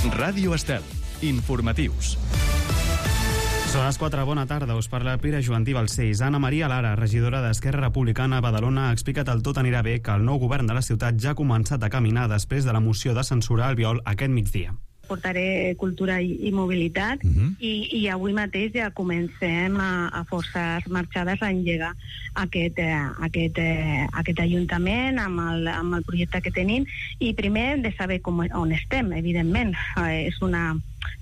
Ràdio Estel. Informatius. Són les 4, bona tarda, us parla Pere Joantí Balcells. Ana Maria Lara, regidora d'Esquerra Republicana a Badalona, ha explicat el tot anirà bé que el nou govern de la ciutat ja ha començat a caminar després de la moció de censura Albiol aquest migdia. Portaré cultura i mobilitat i avui mateix ja comencem a forçar marxades a engegar aquest ajuntament amb el projecte que tenim i primer de saber on estem, evidentment.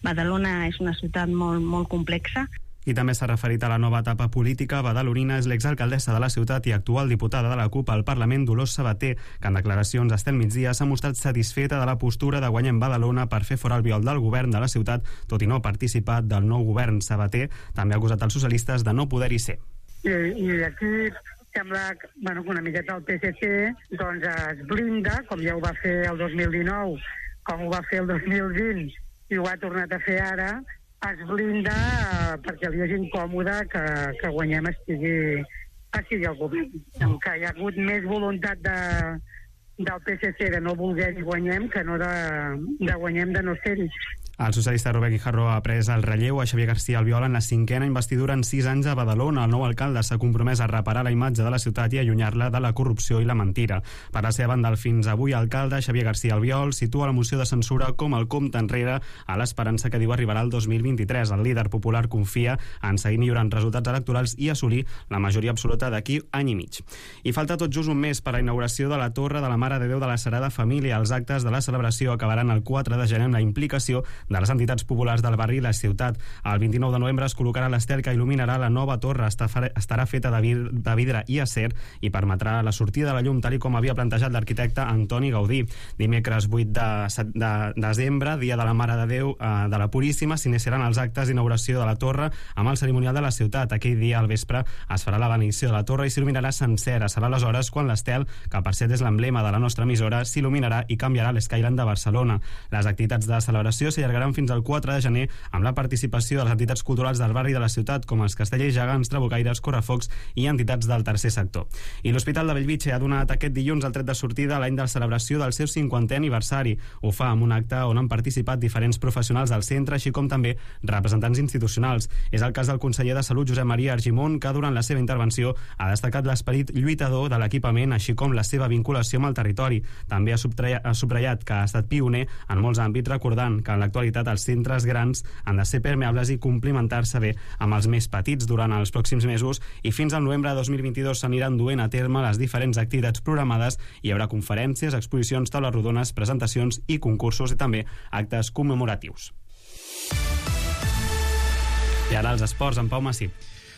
Badalona és una ciutat molt complexa. I també s'ha referit a la nova etapa política badalonina. És l'exalcaldessa de la ciutat i actual diputada de la CUP al Parlament, Dolors Sabater, que en declaracions a Estel Migdia s'ha mostrat satisfeta de la postura de Guanyem Badalona per fer fora Albiol del govern de la ciutat, tot i no participar del nou govern. Sabater també ha acusat els socialistes de no poder-hi ser. I aquí sembla que una miqueta el PSC doncs es blinda, com ja ho va fer el 2019, com ho va fer el 2020 i ho ha tornat a fer ara, es blinda perquè li és incòmode que Guanyem estigui al govern. Que hi ha hagut més voluntat del PSC de no voler-hi Guanyem que no de Guanyem de no ser-hi. El socialista Robert Guijarro ha pres el relleu a Xavier García Albiol en la 5a investidura en 6 anys a Badalona. El nou alcalde s'ha compromès a reparar la imatge de la ciutat i allunyar-la de la corrupció i la mentira. Per la seva banda, el fins avui alcalde Xavier García Albiol situa la moció de censura com el compte enrere a l'esperança que diu arribarà el 2023. El líder popular confia en seguir millorant resultats electorals i assolir la majoria absoluta d'aquí any i mig. I falta tot just un mes per a la inauguració de la Torre de la Mare de Déu de la Sagrada Família. Els actes de la celebració acabaran el 4 de gener amb la implicació de les entitats populars del barri i la ciutat. El 29 de novembre es col·locarà l'estel que il·luminarà la nova torre. Estarà feta de vidre i acer i permetrà la sortida de la llum, tal i com havia plantejat l'arquitecte Antoni Gaudí. Dimecres 8 de desembre, dia de la Mare de Déu de la Puríssima, s'iniciaran els actes d'inauguració de la torre amb el cerimonial de la ciutat. Aquell dia al vespre es farà la benedicció de la torre i s'il·luminarà sencera. Serà aleshores quan l'estel, que per cert és l'emblema de la nostra emissora, s'il·luminarà i canviarà l'Skyline de Barcelona. Les activitats de celebració s'allargaran fins al 4 de gener amb la participació de les entitats culturals del barri de la ciutat com els castellers, gegants, trabucaires, correfocs i entitats del tercer sector. I l'Hospital de Bellvitge ha donat aquest dilluns el tret de sortida a l'any de celebració del seu 50è aniversari. Ho fa amb un acte on han participat diferents professionals del centre, així com també representants institucionals. És el cas del conseller de Salut, Josep Maria Argimon, que durant la seva intervenció ha destacat l'esperit lluitador de l'equipament, així com la seva vinculació amb el territori. També ha subratllat que ha estat pioner en molts àmbits, recordant que en l'actualitat els centres grans han de ser permeables i complementar-se bé amb els més petits. Durant els pròxims mesos i fins al novembre de 2022 s'aniran duent a terme les diferents activitats programades. Hi haurà conferències, exposicions, taules rodones, presentacions i concursos i també actes commemoratius. I ara els esports, en Pau Massip.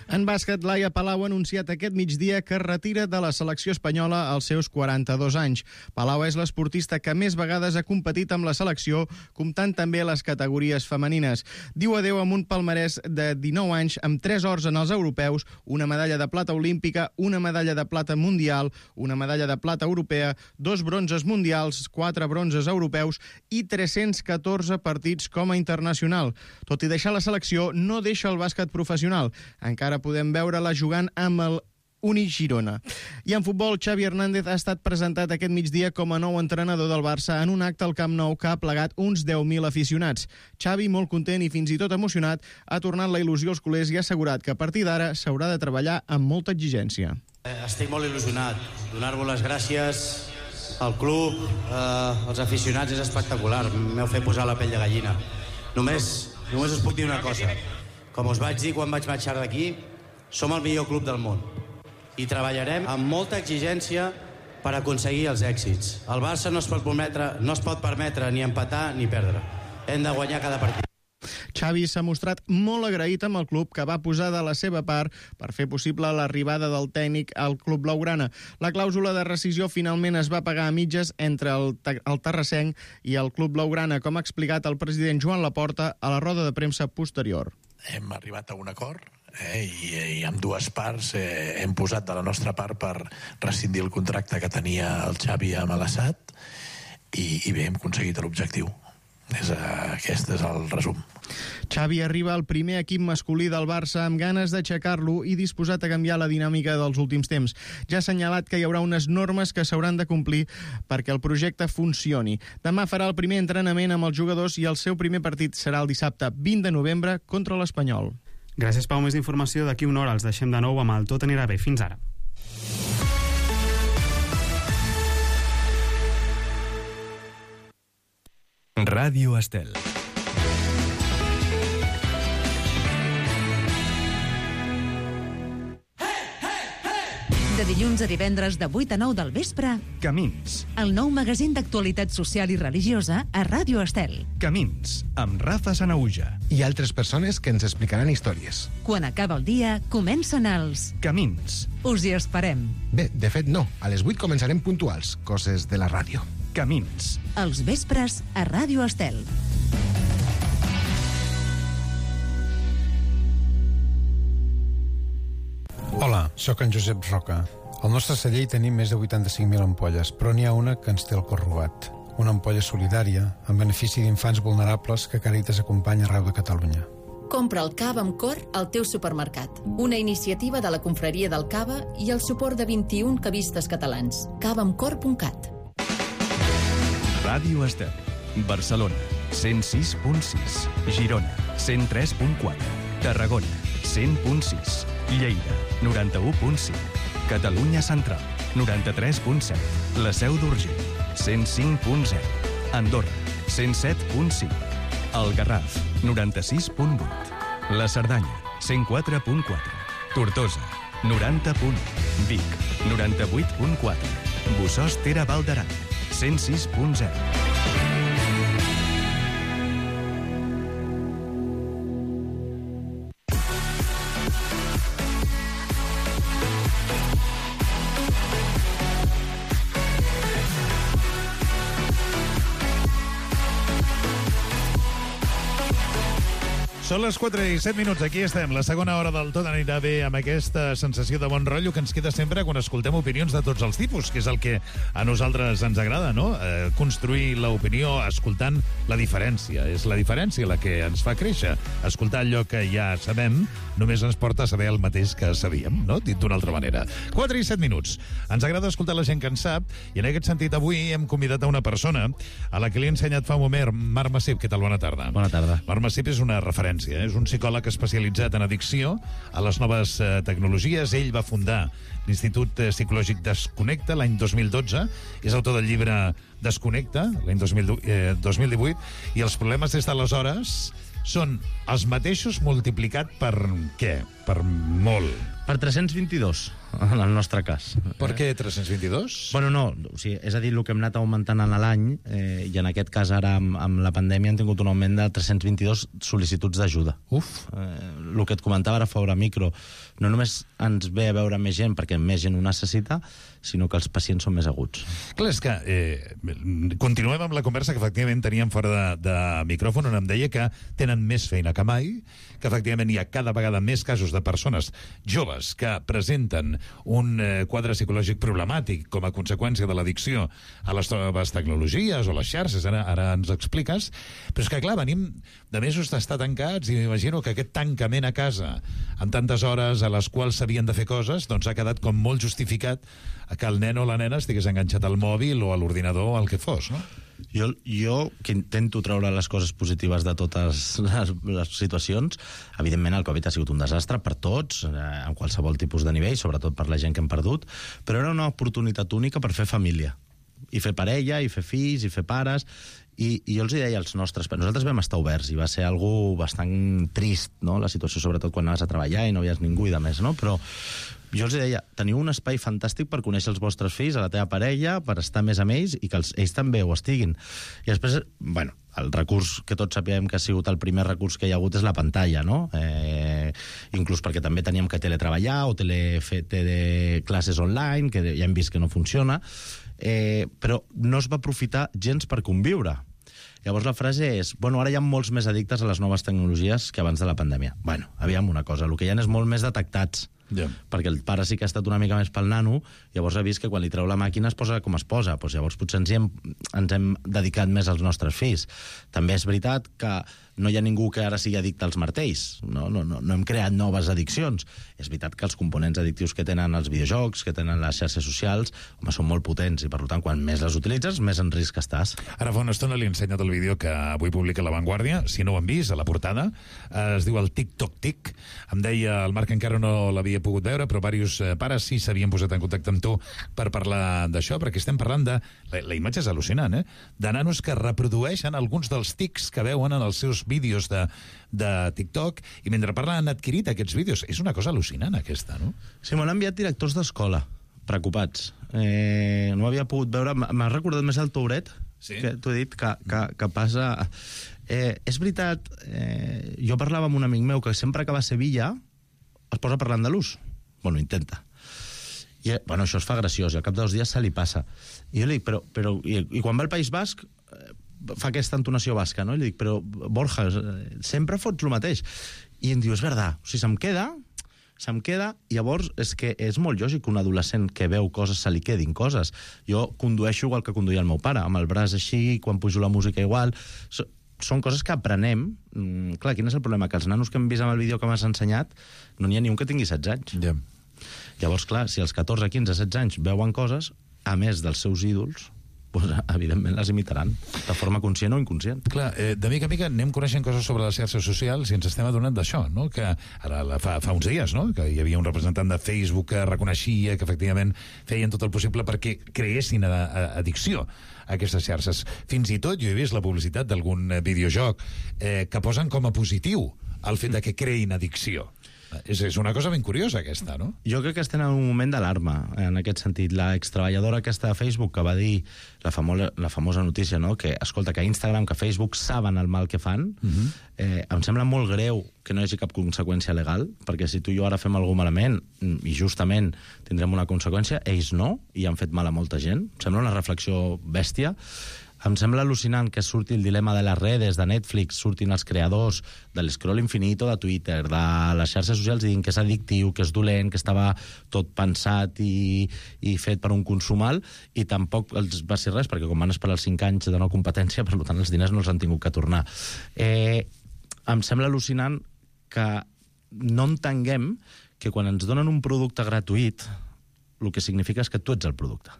En bàsquet, Laia Palau ha anunciat aquest migdia que es retira de la selecció espanyola als seus 42 anys. Palau és l'esportista que més vegades ha competit amb la selecció, comptant també les categories femenines. Diu adeu amb un palmarès de 19 anys, amb 3 ors en els europeus, una medalla de plata olímpica, una medalla de plata mundial, una medalla de plata europea, 2 bronzes mundials, 4 bronzes europeus i 314 partits com a internacional. Tot i deixar la selecció, no deixa el bàsquet professional. Encara podem veure-la jugant amb el Uni Girona. I en futbol, Xavi Hernández ha estat presentat aquest migdia com a nou entrenador del Barça en un acte al Camp Nou que ha plegat uns 10.000 aficionats. Xavi, molt content i fins i tot emocionat, ha tornat la il·lusió als culers i ha assegurat que a partir d'ara s'haurà de treballar amb molta exigència. Estic molt il·lusionat. Donar-vos les gràcies al club, als aficionats, és espectacular. M'heu fet posar la pell de gallina. Només us puc dir una cosa. Com us vaig dir quan vaig marxar d'aquí, som el millor club del món i treballarem amb molta exigència per aconseguir els èxits. El Barça no es pot permetre ni empatar ni perdre. Hem de guanyar cada partit. Xavi s'ha mostrat molt agraït amb el club, que va posar de la seva part per fer possible l'arribada del tècnic al club blaugrana. La clàusula de rescisió finalment es va pagar a mitges entre el terrassenc i el club blaugrana, com ha explicat el president Joan Laporta a la roda de premsa posterior. Hem arribat a un acord i amb dues parts hem posat de la nostra part per rescindir el contracte que tenia el Xavi amb l'Assad i bé, hem aconseguit l'objectiu. Aquest és el resum. Xavi arriba al primer equip masculí del Barça amb ganes d'aixecar-lo i disposat a canviar la dinàmica dels últims temps. Ja ha assenyalat que hi haurà unes normes que s'hauran de complir perquè el projecte funcioni. Demà farà el primer entrenament amb els jugadors i el seu primer partit serà el dissabte 20 de novembre contra l'Espanyol. Gràcies, Pau. Més informació d'aquí una hora. Els deixem de nou amb el Tot anirà bé. Fins ara. Ràdio Estel. De dilluns a divendres de 8 a 9 del vespre, Camins. el nou magazín d'actualitat social i religiosa a Ràdio Estel. Camins, amb Rafa Sanauja. I altres persones que ens explicaran històries. Quan acaba el dia, comencen els... Camins. Us hi esperem. Bé, de fet no, a les 8 començarem puntuals, coses de la ràdio. Camins. Els vespres a Ràdio Estel. Hola, sóc en Josep Roca. Al nostre celler hi tenim més de 85.000 ampolles, però n'hi ha una que ens té el cor robat. Una ampolla solidària, en benefici d'infants vulnerables que Càritas acompanya arreu de Catalunya. Compra el cava amb cor al teu supermercat. Una iniciativa de la Confraria del Cava i el suport de 21 cavistes catalans. cavaamcor.cat. Ràdio Estel. Barcelona, 106.6. Girona, 103.4. Tarragona, 100.6. Lleida, 91.5. Catalunya Central, 93.7. La Seu d'Urgell, 105.0. Andorra, 107.5. El Garraf, 96.8. La Cerdanya, 104.4. Tortosa, 90.1. Vic, 98.4. Bossòst Tere Val d'Aran, 106.0. Són les 4 i 7 minuts, aquí estem, la segona hora del Tot anirà bé, amb aquesta sensació de bon rotllo que ens queda sempre quan escoltem opinions de tots els tipus, que és el que a nosaltres ens agrada, no? Construir l'opinió escoltant la diferència. És la diferència la que ens fa créixer. Escoltar allò que ja sabem només ens porta a saber el mateix que sabíem, no? Dit d'una altra manera. 4 i 7 minuts. Ens agrada escoltar la gent que en sap, i en aquest sentit avui hem convidat a una persona a la que li he ensenyat fa un moment, Marc Massip. Què tal? Bona tarda. Bona tarda. Marc Massip és una referència. És un psicòleg especialitzat en addicció a les noves tecnologies. Ell va fundar l'Institut Psicològic Desconnecta l'any 2012. És autor del llibre Desconnecta, l'any 2018. I els problemes des d'aleshores són els mateixos multiplicat per què? Per molt. Per 322, en el nostre cas. Per què 322? Bueno, no, o sigui, és a dir, el que hem anat augmentant en l'any, i en aquest cas ara amb la pandèmia hem tingut un augment de 322 sol·licituds d'ajuda. Uf! El que et comentava ara fora micro, no només ens ve a veure més gent perquè més gent ho necessita, sinó que els pacients són més aguts. Clar, és que continuem amb la conversa que efectivament teníem fora de micròfon, on em deia que tenen més feina que mai, que efectivament hi ha cada vegada més casos de persones joves que presenten un quadre psicològic problemàtic com a conseqüència de l'addicció a les noves tecnologies o les xarxes, ara ens expliques, però és que clar, venim de mesos d'estar tancats i m'imagino que aquest tancament a casa amb tantes hores a les quals s'havien de fer coses, doncs ha quedat com molt justificat que el nen o la nena estigués enganxat al mòbil o a l'ordinador o al que fos, no? Jo que intento treure les coses positives de totes les situacions, evidentment el Covid ha sigut un desastre per tots, en qualsevol tipus de nivell, sobretot per la gent que hem perdut, però era una oportunitat única per fer família, i fer parella, i fer fills, i fer pares, i jo els deia als nostres... Nosaltres vam estar oberts, i va ser algo bastant trist, no?, la situació, sobretot quan anaves a treballar i no veies ningú i de més, no?, però jo els deia, teniu un espai fantàstic per conèixer els vostres fills, a la teva parella, per estar més amb ells i que ells també ho estiguin. I després, bueno, el recurs que tots sapiem que ha sigut el primer recurs que hi ha hagut és la pantalla, no? Inclús perquè també teníem que teletreballar o fer classes online, que ja hem vist que no funciona, però no es va aprofitar gens per conviure. Llavors la frase és, bueno, ara hi ha molts més addictes a les noves tecnologies que abans de la pandèmia. Bueno, aviam una cosa, el que hi ha és molt més detectats. perquè el pare sí que ha estat una mica més pel nano, llavors ha vist que quan li treu la màquina es posa com es posa, doncs llavors potser ens hem dedicat més als nostres fills. També és veritat que no hi ha ningú que ara sigui addicte als martells, no hem creat noves addiccions. És veritat que els components addictius que tenen els videojocs, que tenen les xarxes socials, home, són molt potents, i per tant, quan més les utilitzes, més en risc estàs. Ara fa una estona li he ensenyat el vídeo que avui publica La Vanguardia, si no ho han vist, a la portada, es diu el TikTok-Tic. Em deia, el Marc encara no l'havia pogut veure, però diversos pares sí s'havien posat en contacte amb tu per parlar d'això, perquè estem parlant de... La imatge és al·lucinant, de nanos que reprodueixen alguns dels tics que veuen en els seus vídeos de TikTok, i mentre parlen han adquirit aquests vídeos. És una cosa al·lucinant, aquesta, no? Sí, m'ho han enviat directors d'escola, preocupats. No havia pogut veure... M'ha recordat més el Touret, que t'ho he dit, que passa... És veritat, jo parlava amb un amic meu que sempre que va a Sevilla es posa a parlar andalús. Bueno, intenta. I això es fa graciós, i al cap de 2 dies se li passa. I jo li dic, però i quan va al País Basc fa aquesta entonació basca, no? I li dic, però Borja, sempre fots el mateix. I em diu, és veritat, o sigui, se'm queda, i llavors és que és molt lògic que un adolescent que veu coses se li quedin coses. Jo condueixo igual que conduïa el meu pare, amb el braç així, quan pujo la música igual... Són coses que aprenem. Clar, quin és el problema? Que els nanos que hem vist amb el vídeo que m'has ensenyat no n'hi ha ni un que tingui 16 anys. Llavors, clar, si els 14, 15, 16 anys veuen coses, a més dels seus ídols, doncs, evidentment les imitaran, de forma conscient o inconscient. Clar, de mica en mica anem coneixent coses sobre les xarxes socials i ens estem adonant d'això, no? Que ara fa uns dies, no? Que hi havia un representant de Facebook que reconeixia que efectivament feien tot el possible perquè creessin addicció a aquestes xarxes. Fins i tot jo he vist la publicitat d'algun videojoc que posen com a positiu el fet de que creïn addicció. És una cosa ben curiosa, aquesta, no? Jo crec que estem en un moment d'alarma, en aquest sentit. La extreballadora aquesta de Facebook que va dir la famosa notícia, no? Que, escolta, que Instagram, que Facebook saben el mal que fan, em sembla molt greu que no hi hagi cap conseqüència legal, perquè si tu i jo ara fem alguna malament, i justament tindrem una conseqüència, ells no, i han fet mal a molta gent. Em sembla una reflexió bèstia. Em sembla al·lucinant que surti el dilema de les redes, de Netflix, surtin els creadors de l'escroll infinito de Twitter, de les xarxes socials, i dient que és addictiu, que és dolent, que estava tot pensat i fet per un consum alt, i tampoc els va ser res, perquè com van esperar els 5 anys de no competència, per tant els diners no els han tingut que tornar. Em sembla al·lucinant que no entenguem que quan ens donen un producte gratuït, el que significa és que tu ets el producte.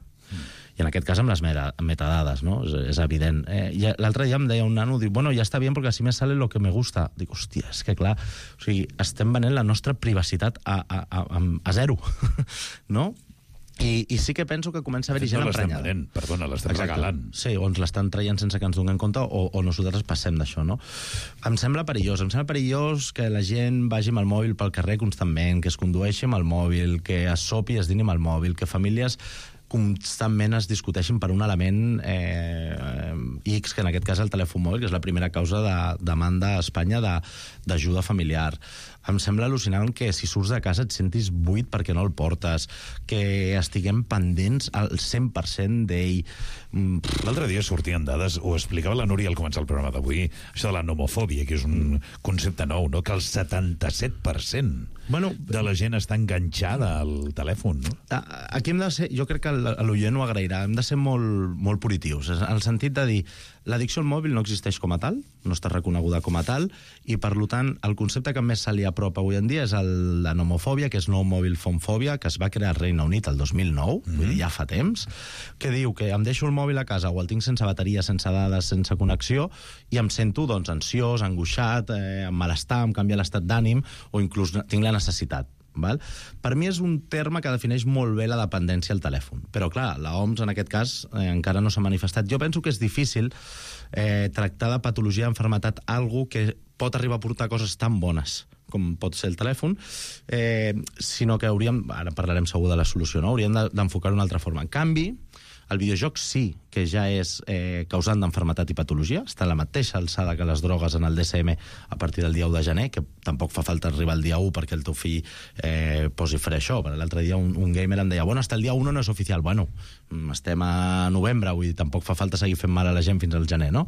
I en aquest cas amb les metadades, no? És evident. L'altre dia em deia un nano, diu, bueno, ja està bien porque así me sale lo que me gusta. Dic, hòstia, és que clar, o sigui, estem venent la nostra privacitat a zero, no? I sí que penso que comença a haver-hi gent emprenyada. L'estem regalant. Sí, o ens l'estan traient sense que ens donem compte, o nosaltres passem d'això, no? Em sembla perillós que la gent vagi amb el mòbil pel carrer constantment, que es condueixi amb el mòbil, que es sopi i es dini amb el mòbil, que famílies constantment es discuteixin per un element X, que en aquest cas el telèfon mòbil, que és la primera causa de demanda a Espanya d'ajuda familiar. Em sembla al·lucinant que si surts de casa et sentis buit perquè no el portes, que estiguem pendents al 100% d'ell. L'altre dia sortien dades, ho explicava la Núria al començar el programa d'avui, això de la nomofòbia, que és un concepte nou, no? Que el 77% de la gent està enganxada al telèfon, no? Aquí hem de ser, jo crec que l'oient ho agrairà, hem de ser molt positius, en el sentit de dir, l'addicció al mòbil no existeix com a tal, no està reconeguda com a tal, i per tant el concepte que més se li apropa avui en dia és la nomofòbia, que és no mobile phone fòbia, que es va crear al Regne Unit el 2009, vull dir, ja fa temps, que diu que em deixo el mòbil a casa o el tinc sense bateria, sense dades, sense connexió, i em sento doncs ansiós, angoixat, amb malestar, em canvia l'estat d'ànim, o inclús tinc la necessitat. Val? Per mi és un terme que defineix molt bé la dependència al telèfon. Però, clar, l'OMS en aquest cas encara no s'ha manifestat. Jo penso que és difícil tractar de patologia d'enfermetat algú que pot arribar a portar coses tan bones com pot ser el telèfon, sinó que hauríem, ara parlarem segur de la solució, no? Hauríem d'enfocar-ho d'una altra forma. En canvi, El videojoc sí que ja és causant d'enfermetat i patologia, està a la mateixa alçada que les drogues en el DSM a partir del dia 1 de gener, que tampoc fa falta arribar al dia 1 perquè el teu fill posi fre això. L'altre dia un gamer em deia, bueno, hasta el dia 1 no és oficial. Bueno, estem a novembre, vull dir, tampoc fa falta seguir fent mal a la gent fins al gener, no?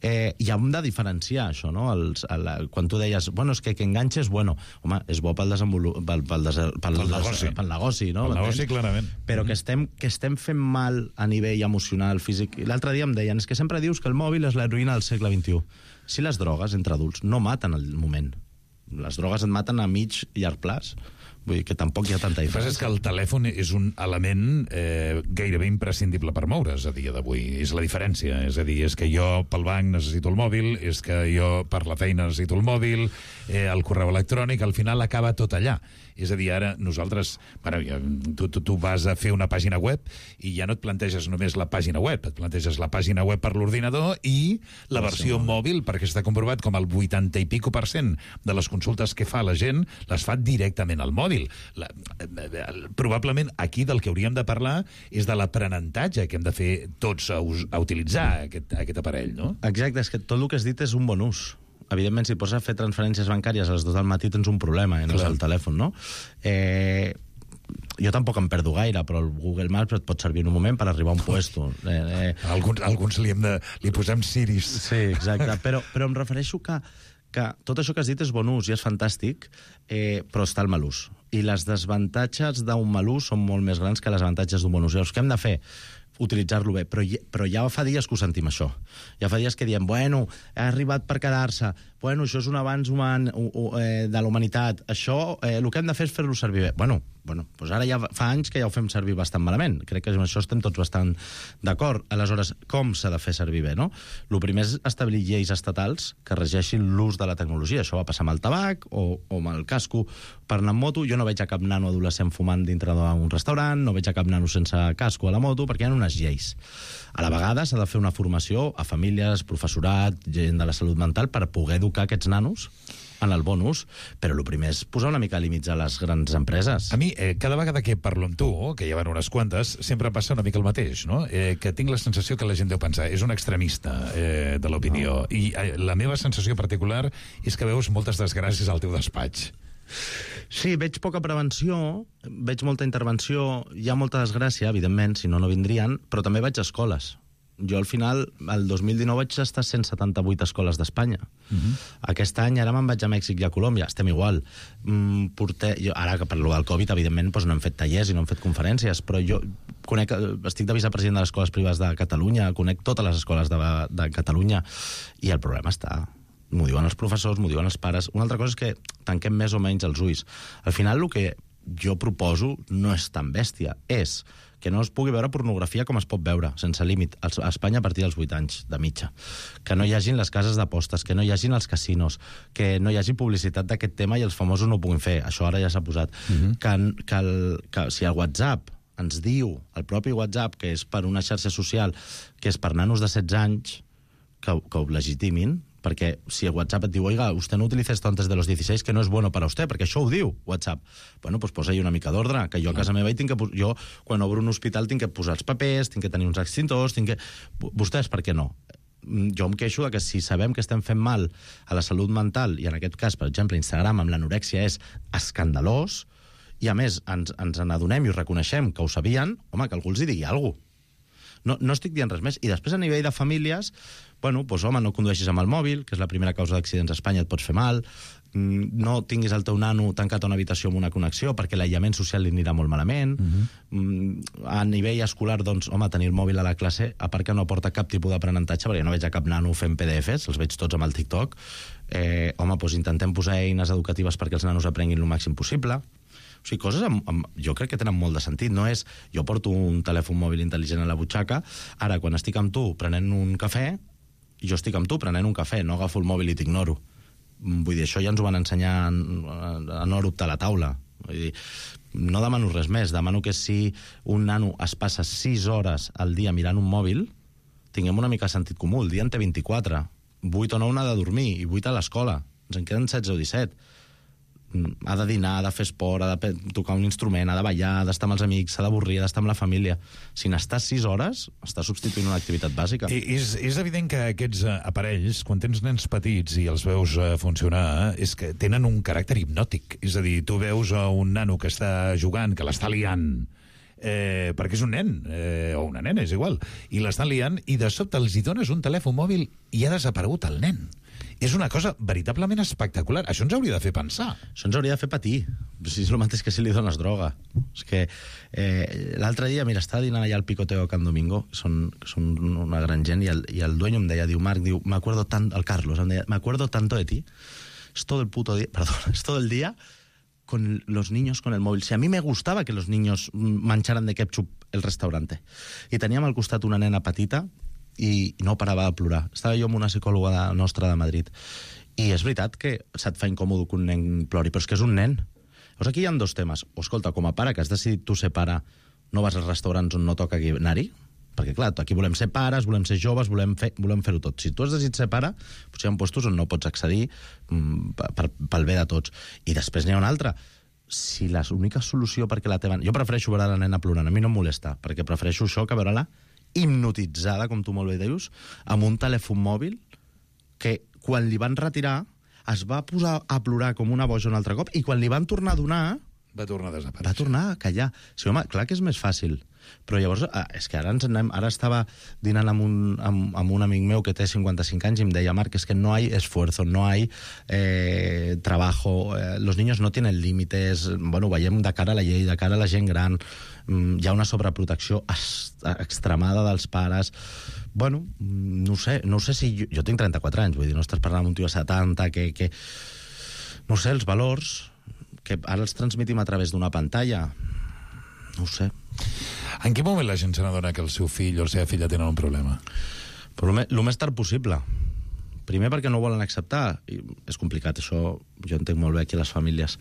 I hem de diferenciar això, no? Quan tu deies, bueno, és que enganxes, bueno, home, és bo pel negoci, no? Pel negoci, clarament. Però que estem fent mal a nivell emocional, físic. L'altre dia em deien, és que sempre dius que el mòbil és l'heroïna del segle XXI. Si les drogues entre adults no maten al moment, les drogues et maten a mig i llarg plaç. Vull dir que tampoc hi ha tanta diferència. El que passa és que el telèfon és un element gairebé imprescindible per moure's a dia d'avui. És la diferència. És a dir, és que jo pel banc necessito el mòbil, és que jo per la feina necessito el mòbil, el correu electrònic, al final acaba tot allà. És a dir, ara nosaltres... Tu vas a fer una pàgina web i ja no et planteges només la pàgina web, et planteges la pàgina web per l'ordinador i la versió mòbil, perquè està comprovat com el 80 i pico % de les consultes que fa la gent les fa directament al mòbil. Probablement aquí del que hauríem de parlar és de l'aprenentatge que hem de fer tots a utilitzar aquest aparell, no? Exacte, és que tot el que has dit és un bon ús. Evidentment, si pots fer transferències bancàries a les 2 del matí tens un problema, no és el telèfon, no? Jo tampoc em perdo gaire, però el Google Maps et pot servir en un moment per arribar a un puesto. Alguns li posem Siris. Sí, exacte. Però em refereixo que tot això que has dit és bon ús i és fantàstic, però està el mal ús. I les desavantatges d'un mal ús són molt més grans que les avantatges d'un bon ús. Llavors, què hem de fer? Utilitzar-lo bé, però ja fa dies que ho sentim, això. Ja fa dies que diem, bueno, ha arribat per quedar-se, bueno, això és un avanç humà de la humanitat, això, el que hem de fer és fer-lo servir bé. Bueno, doncs ara ja fa anys que ja ho fem servir bastant malament. Crec que amb això estem tots bastant d'acord. Aleshores, com s'ha de fer servir bé, no? El primer és establir lleis estatals que regeixin l'ús de la tecnologia. Això va passar amb el tabac o amb el casco per anar amb moto. Jo no veig a cap nano adolescent fumant dintre d'un restaurant, no veig a cap nano sense casco a la moto, perquè hi ha unes lleis. A la vegada s'ha de fer una formació a famílies, professorat, gent de la salut mental per poder educar aquests nanos en el bon ús, però el primer és posar una mica límits a les grans empreses. A mi, cada vegada que parlo amb tu, que ja van unes quantes, sempre passa una mica el mateix, no? Que tinc la sensació que la gent deu pensar, és un extremista de l'opinió, i la meva sensació particular és que veus moltes desgràcies al teu despatx. Sí, veig poca prevenció, veig molta intervenció, hi ha molta desgràcia, evidentment, si no, no vindrien, però també vaig a escoles. Jo, al final, el 2019 vaig estar a 178 escoles d'Espanya. Aquest any, ara me'n vaig a Mèxic i a Colòmbia, estem igual. Ara, que per lo del Covid, evidentment, no hem fet tallers i no hem fet conferències, però jo estic de vicepresident de les escoles privades de Catalunya, conec totes les escoles de Catalunya, i el problema està... M'ho diuen els professors, m'ho diuen els pares. Una altra cosa és que tanquem més o menys els ulls. Al final, el que jo proposo no és tan bèstia, és que no es pugui veure pornografia com es pot veure, sense límit, a Espanya a partir dels 8 anys de mitja. Que no hi hagin les cases d'apostes, que no hi hagin els casinos, que no hi hagi publicitat d'aquest tema i els famosos no ho puguin fer. Això ara ja s'ha posat. Que si el WhatsApp ens diu, el propi WhatsApp, que és per una xarxa social, que és per nanos de 16 anys, que ho legitimin, perquè si el WhatsApp et diu, oiga, usted no utiliza esto antes de los 16, que no és bueno para usted, perquè això ho diu WhatsApp. Bueno, doncs posa-hi una mica d'ordre, que jo a casa meva jo, quan obro un hospital, tinc que posar els papers, tinc que tenir uns extintors, Vostès, per què no? Jo em queixo que si sabem que estem fent mal a la salut mental, i en aquest cas, per exemple, Instagram amb l'anorèxia és escandalós, i a més ens n'adonem i ho reconeixem que ho sabien, home, que algú els hi digui alguna cosa. No estic dient res més. I després, a nivell de famílies, bueno, doncs, home, no condueixis amb el mòbil, que és la primera causa d'accidents a Espanya, et pots fer mal, no tinguis el teu nano tancat a una habitació amb una connexió, perquè l'aïllament social li anirà molt malament. A nivell escolar, doncs, home, tenir el mòbil a la classe, a part que no aporta cap tipus d'aprenentatge, perquè no veig a cap nano fent PDFs, els veig tots amb el TikTok. Home, doncs intentem posar eines educatives perquè els nanos aprenguin el màxim possible. O sigui, coses jo crec que tenen molt de sentit. No és, jo porto un telèfon mòbil intel·ligent a la butxaca, ara, quan estic amb tu prenent un cafè, jo estic amb tu prenent un cafè, no agafo el mòbil i t'ignoro. Vull dir, això ja ens ho van ensenyar a no eruptar la taula. Vull dir, no demano res més, demano que si un nano es passa 6 hores al dia mirant un mòbil, tinguem una mica de sentit comú. El dia en té 24, 8 o 9 n'ha de dormir i 8 a l'escola. Ens en queden 16 o 17. ha de dinar, ha de fer esport, ha de tocar un instrument, ha de ballar, ha d'estar amb els amics, s'ha d'avorrir, ha d'estar amb la família. Si n'estàs 6 hores, estàs substituint una activitat bàsica. És evident que aquests aparells, quan tens nens petits i els veus funcionar, és que tenen un caràcter hipnòtic. És a dir, tu veus un nano que està jugant, que l'està liant, perquè és un nen, o una nena, és igual, i l'estan liant, i de sobte els hi dones un telèfon mòbil i ha desaparegut el nen. És una cosa veritablement espectacular. Això ens hauria de fer pensar. Això ens hauria de fer patir. Si és el mateix que si li dones droga. És que l'altre dia, mira, estava dinant allà al Picoteo Can Domingo, són una gran gent, i el dueño em deia, Marc, el Carlos, em deia, me acuerdo tanto de ti, es todo el día con los niños con el móvil. Si a mí me gustaba que los niños mancharan de ketchup el restaurante. I teníem al costat una nena petita i no parava de plorar. Estava jo amb una psicòloga nostra de Madrid. I és veritat que se't fa incòmode que un nen plori, però és que és un nen. Llavors aquí hi ha 2 temes. O, escolta, com a pare que has decidit tu ser pare, no vas als restaurants on no toca anar-hi? Perquè, clar, aquí volem ser pares, volem ser joves, volem fer-ho tot. Si tu has decidit ser pare, potser hi ha puestos on no pots accedir pel bé de tots. I després n'hi ha una altra. Si l'única solució perquè la teva... Jo prefereixo veure la nena plorant, a mi no em molesta, perquè prefereixo això que veure-la hipnotitzada, com tu molt bé dius, amb un telèfon mòbil que, quan li van retirar, es va posar a plorar com una boja un altre cop, i quan li van tornar a donar... Va tornar a desaparèixer. Va tornar a callar. Sí, home, clar que és més fàcil. Però llavors, és que ara estava dinant amb un amic meu que té 55 anys i em deia, Marc, és que no hay esfuerzo, no hay trabajo, los niños no tienen límites, bueno, veiem de cara a la llei, de cara a la gent gran, hi ha una sobreprotecció extremada dels pares. Bueno, no sé si... Jo tinc 34 anys, vull dir, no estàs parlant amb un tio de 70, que no sé, els valors que ara els transmetim a través d'una pantalla, no ho sé. En quin moment la gent se n'adona que el seu fill o la seva filla tenen un problema? Però el més tard possible. Primer perquè no ho volen acceptar. I és complicat, això jo entenc molt bé aquí a les famílies.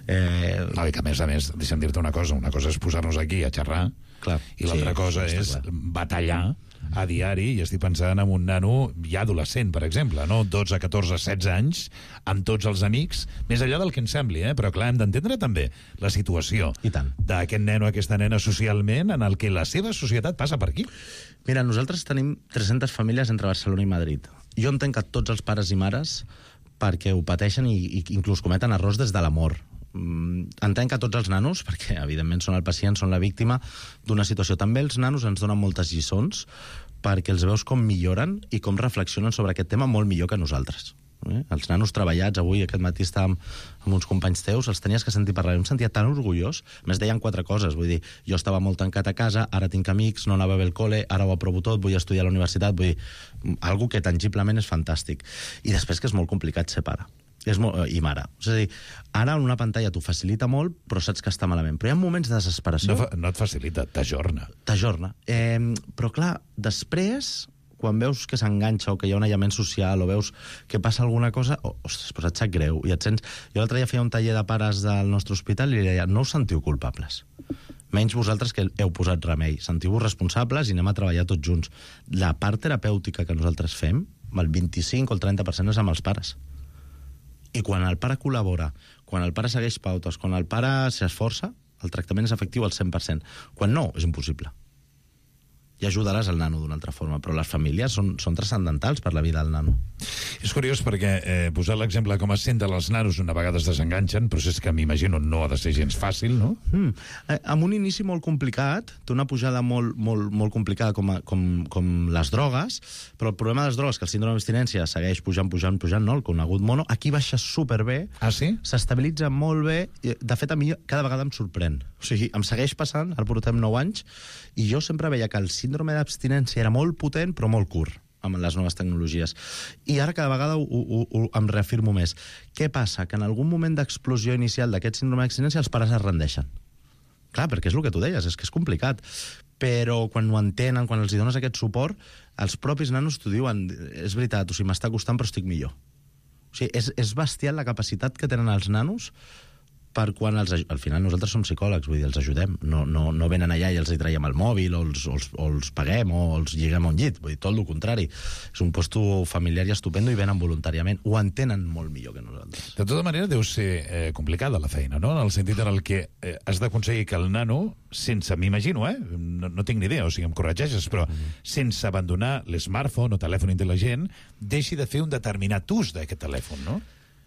No, i que a més, deixa'm dir-te una cosa és posar-nos aquí a xerrar, clar, i l'altra cosa és batallar a diari, i estic pensant en un nano ja adolescent, per exemple, no? 12, 14, 16 anys, amb tots els amics, més enllà del que ens sembli, però clar, hem d'entendre també la situació d'aquest nen o aquesta nena socialment, en el que la seva societat passa per aquí. Mira, nosaltres tenim 300 famílies entre Barcelona i Madrid. Jo entenc que tots els pares i mares, perquè ho pateixen i inclús cometen errors des de l'amor. Entenc que tots els nanos, perquè evidentment són el pacient, són la víctima d'una situació. També els nanos ens donen moltes lliçons perquè els veus com milloren i com reflexionen sobre aquest tema molt millor que nosaltres. Els nanos treballats, avui aquest matí estàvem amb uns companys teus, els tenies que sentir parlar, em sentia tan orgullós. A més, deien 4 coses, vull dir, jo estava molt tancat a casa, ara tinc amics, no anava bé al col·le, ara ho aprovo tot, vull estudiar a la universitat, vull dir, algo que tangiblement és fantàstic. I després que és molt complicat ser pare i mare. És a dir, ara una pantalla t'ho facilita molt, però saps que està malament. Però hi ha moments de desesperació. No et facilita, t'ajorna. Però clar, després, quan veus que s'enganxa o que hi ha un aïllament social o veus que passa alguna cosa, ostres, però et sap greu. I et sents... Jo l'altre dia feia un taller de pares del nostre hospital i li deia, no us sentiu culpables. Menys vosaltres que heu posat remei. Sentiu-vos responsables i anem a treballar tots junts. La part terapèutica que nosaltres fem, el 25 o el 30% és amb els pares. I quan el pare col·labora, quan el pare segueix pautes, quan el pare s'esforça, el tractament és efectiu al 100%. Quan no, és impossible. I ajudaràs el nano d'una altra forma, però les famílies són transcendentals per la vida del nano. És curiós perquè posar l'exemple com es senten els nanos una vegada es desenganxen, però és que m'imagino no ha de ser gens fàcil, no? Amb un inici molt complicat, té una pujada molt complicada com les drogues, però el problema de les drogues, que el síndrome d'abstinència segueix pujant, no? El conegut mono, aquí baixa superbé, s'estabilitza molt bé, de fet a mi cada vegada em sorprèn. O sigui, em segueix passant, ara portem 9 anys, i jo sempre veia que el síndrome d'abstinència era molt potent però molt curt amb les noves tecnologies. I ara cada vegada em reafirmo més. Què passa? Que en algun moment d'explosió inicial d'aquest síndrome d'abstinència els pares es rendeixen. Clar, perquè és el que tu deies, és que és complicat. Però quan ho entenen, quan els dones aquest suport, els propis nanos t'ho diuen, és veritat, o sigui, m'està costant però estic millor. O sigui, és bestial la capacitat que tenen els nanos per quan al final nosaltres som psicòlegs, vull dir, els ajudem. No venen allà i els hi traiem el mòbil o els paguem o els lliguem a un llit. Vull dir, tot el contrari. És un puesto familiar i estupendo i venen voluntàriament. Ho entenen molt millor que nosaltres. De tota manera, deu ser complicada la feina, no? En el sentit en el que has d'aconseguir que el nano, sense, m'imagino, no tinc ni idea, o sigui, em corregeixes, però sense abandonar l'smartphone o telèfon intel·ligent, deixi de fer un determinat ús d'aquest telèfon, no?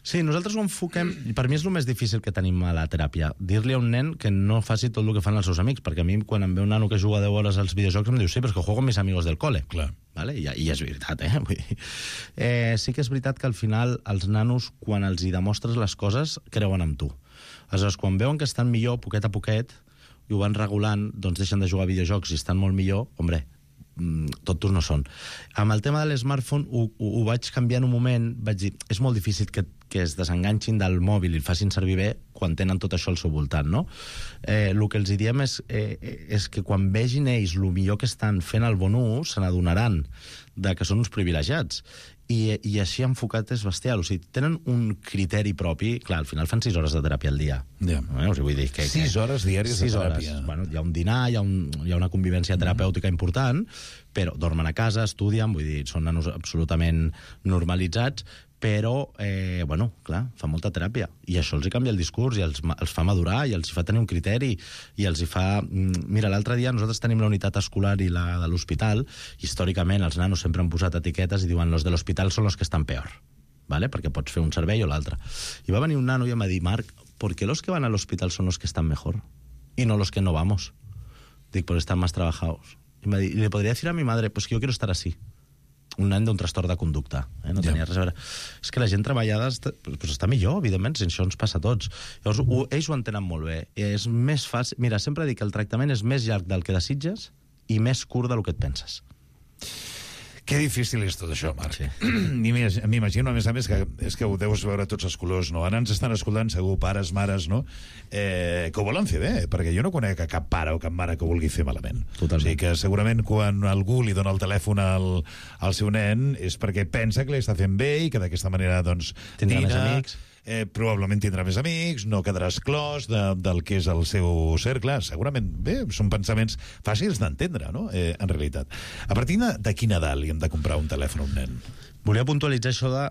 Sí, nosaltres ho enfoquem... Per mi és el més difícil que tenim a la teràpia. Dir-li a un nen que no faci tot el que fan els seus amics, perquè a mi, quan em ve un nano que juga 10 hores als videojocs, em diu, sí, però és que juego con mis amigos del cole. Clar. Vale? I és veritat, Vull dir, sí que és veritat que al final els nanos, quan els hi demostres les coses, creuen en tu. Aleshores, quan veuen que estan millor, poquet a poquet, i ho van regulant, doncs deixen de jugar a videojocs i estan molt millor, hombre, tontos no són. Amb el tema de l'smartphone ho vaig canviar en un moment, vaig dir, és molt difícil que es desenganxin del mòbil i el facin servir bé quan tenen tot això al seu voltant, no? El que els diem és que quan vegin ells el millor que estan fent el bon ús, se n'adonaran que són uns privilegiats. I així enfocat és bestial. O sigui, tenen un criteri propi. Clar, al final fan 6 hores de teràpia al dia. Yeah. O sigui, vull dir 6 hores diàries de teràpia. Bueno, hi ha un dinar, hi ha una convivència terapèutica important, però dormen a casa, estudien, vull dir, són nanos absolutament normalitzats, però, bueno, clar, fa molta teràpia. I això els hi canvia el discurs, i els fa madurar, i els hi fa tenir un criteri, i els hi fa... Mira, l'altre dia nosaltres tenim la unitat escolar i la de l'hospital. Històricament, els nanos sempre han posat etiquetes i diuen los de l'hospital són los que estan peor, ¿vale? Perquè pots fer un servei o l'altre. I va venir un nano i em va dir, Marc, ¿por qué los que van al hospital son los que están mejor? Y no los que no vamos. Dic, porque están más trabajados. Y me dice, le podría decir a mi madre, pues que yo quiero estar así. Un nen d'un trastorn de conducta. No tenia res a veure. És que la gent treballada està millor, evidentment, si això ens passa a tots. Llavors, ells ho entenen molt bé. És més fàcil... Mira, sempre dic que el tractament és més llarg del que desitges i més curt del que et penses. Que difícil és tot això, Marc. Sí. M'imagino, a més, és que ho deus veure tots els colors, no? Ara ens estan escoltant, segur, pares, mares, no? Que ho volen fer bé, perquè jo no conec cap pare o cap mare que ho vulgui fer malament. Totalment. O sigui que segurament quan algú li dona el telèfon al seu nen és perquè pensa que li està fent bé i que d'aquesta manera, doncs, tindrà més amics. Probablement tindrà més amics, no quedarà exclòs del que és el seu cercle. Segurament, bé, són pensaments fàcils d'entendre, no?, en realitat. A partir de quina edat li hem de comprar un telèfon a un nen? Volia puntualitzar això de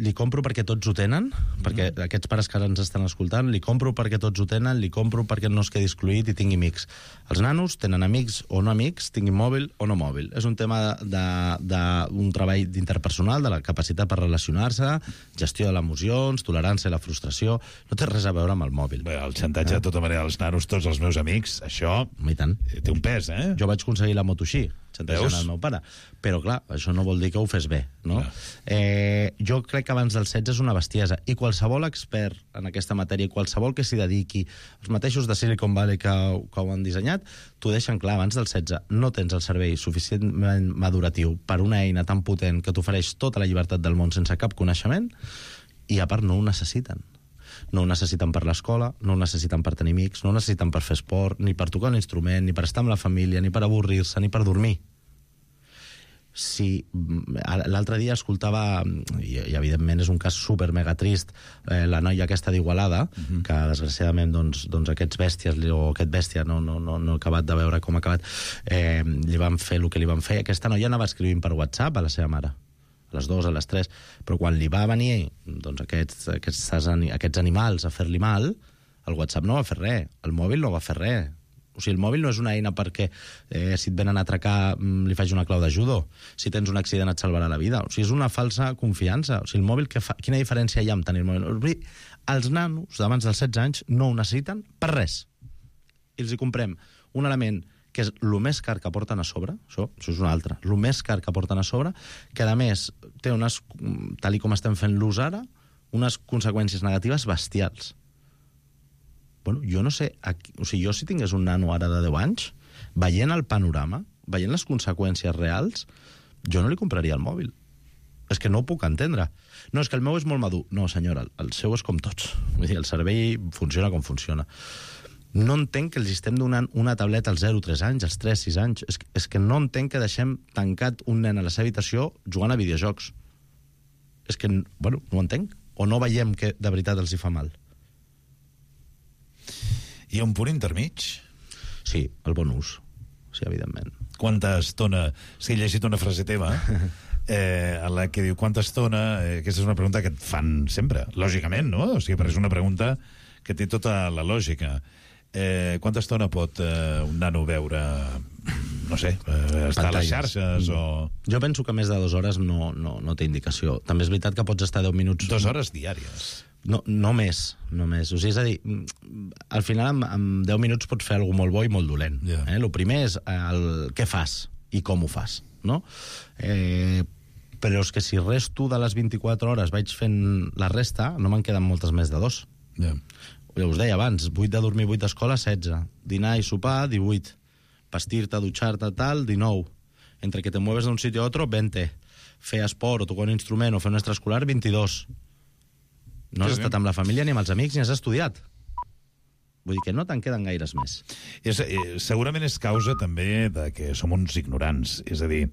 li compro perquè tots ho tenen, perquè aquests pares que ara ens estan escoltant, li compro perquè tots ho tenen, li compro perquè no es quedi excluït i tingui amics. Els nanos tenen amics o no amics, tinguin mòbil o no mòbil. És un tema d'un treball interpersonal, de la capacitat per relacionar-se, gestió de les emocions, tolerància a la frustració. No té res a veure amb el mòbil. Bé, el xantatge, de tota manera, dels nanos, tots els meus amics, això té un pes, eh? Jo vaig aconseguir la moto així, xantatjant el meu pare. Però, clar, això no vol dir que ho fes bé, no? Jo crec que abans dels 16 és una bestiesa. I qualsevol expert en aquesta matèria, qualsevol que s'hi dediqui, els mateixos de Silicon Valley que ho han dissenyat, t'ho deixen clar, abans dels 16 no tens el servei suficientment maduratiu per una eina tan potent que t'ofereix tota la llibertat del món sense cap coneixement, i a part no ho necessiten. No ho necessiten per l'escola, no ho necessiten per tenir amics, no ho necessiten per fer esport, ni per tocar un instrument, ni per estar amb la família, ni per avorrir-se, ni per dormir. Sí, l'altre dia escoltava, i evidentment és un cas super mega trist, la noia aquesta d'Igualada, que desgraciadament doncs aquests bèsties, o aquest bèstia, no he acabat de veure com ha acabat, li van fer el que li van fer. Aquesta noia anava escrivint per WhatsApp a la seva mare, a les 2, a les 3, però quan li va venir doncs, aquests animals a fer-li mal, el WhatsApp no va fer res, el mòbil no va fer res. O sigui, el mòbil no és una eina perquè si et venen a atracar li faig una clau de judo, si tens un accident et salvarà la vida. O sigui, és una falsa confiança. O sigui, el mòbil, quina diferència hi ha amb tenir el mòbil? Els nanos d'abans dels 16 anys no ho necessiten per res. I els hi comprem un element que és el més car que porten a sobre, això és una altra, el més car que porten a sobre, que a més té unes, tal com estem fent l'ús ara, unes conseqüències negatives bestials. Bueno, jo no sé, o sigui, jo si tingués un nano ara de 10 anys, veient el panorama, veient les conseqüències reals, jo no li compraria el mòbil. És que no ho puc entendre. No, és que el meu és molt madur. No, senyora, el seu és com tots. Vull dir, el servei funciona com funciona. No entenc que els estem donant una tableta als 0-3 anys, als 3-6 anys. És que no entenc que deixem tancat un nen a la seva habitació jugant a videojocs. És que, bueno, no ho entenc. O no veiem que de veritat els hi fa mal. Hi ha un punt intermig? Sí, el bon ús. Sí, evidentment. Quanta estona... Sí, he llegit una frase teva en la que diu quanta estona... Aquesta és una pregunta que et fan sempre, lògicament, no? O sigui, però és una pregunta que té tota la lògica. Quanta estona pot un nano veure, no sé, estar a les xarxes o... Jo penso que més de 2 hores no té indicació. També és veritat que pots estar 10 minuts... 2 hores diàries? No més. O sigui, és a dir, al final amb 10 minuts pots fer alguna molt bo i molt dolent. El primer és què fas i com ho fas, no? Però és que si resto de les 24 hores vaig fent la resta, no me'n queden moltes més de 2. Ja us deia abans, 8 de dormir, 8 d'escola, 16. Dinar i sopar, 18. Vestir-te, dutxar-te, tal, 19. Entre que te mueves d'un sitio a otro, 20. Fer esport o tocar un instrument o fer un extraescolar, 22. No has estat amb la família ni amb els amics ni has estudiat. Vull dir que no te'n queden gaires més. Segurament és causa també de que som uns ignorants. És a dir,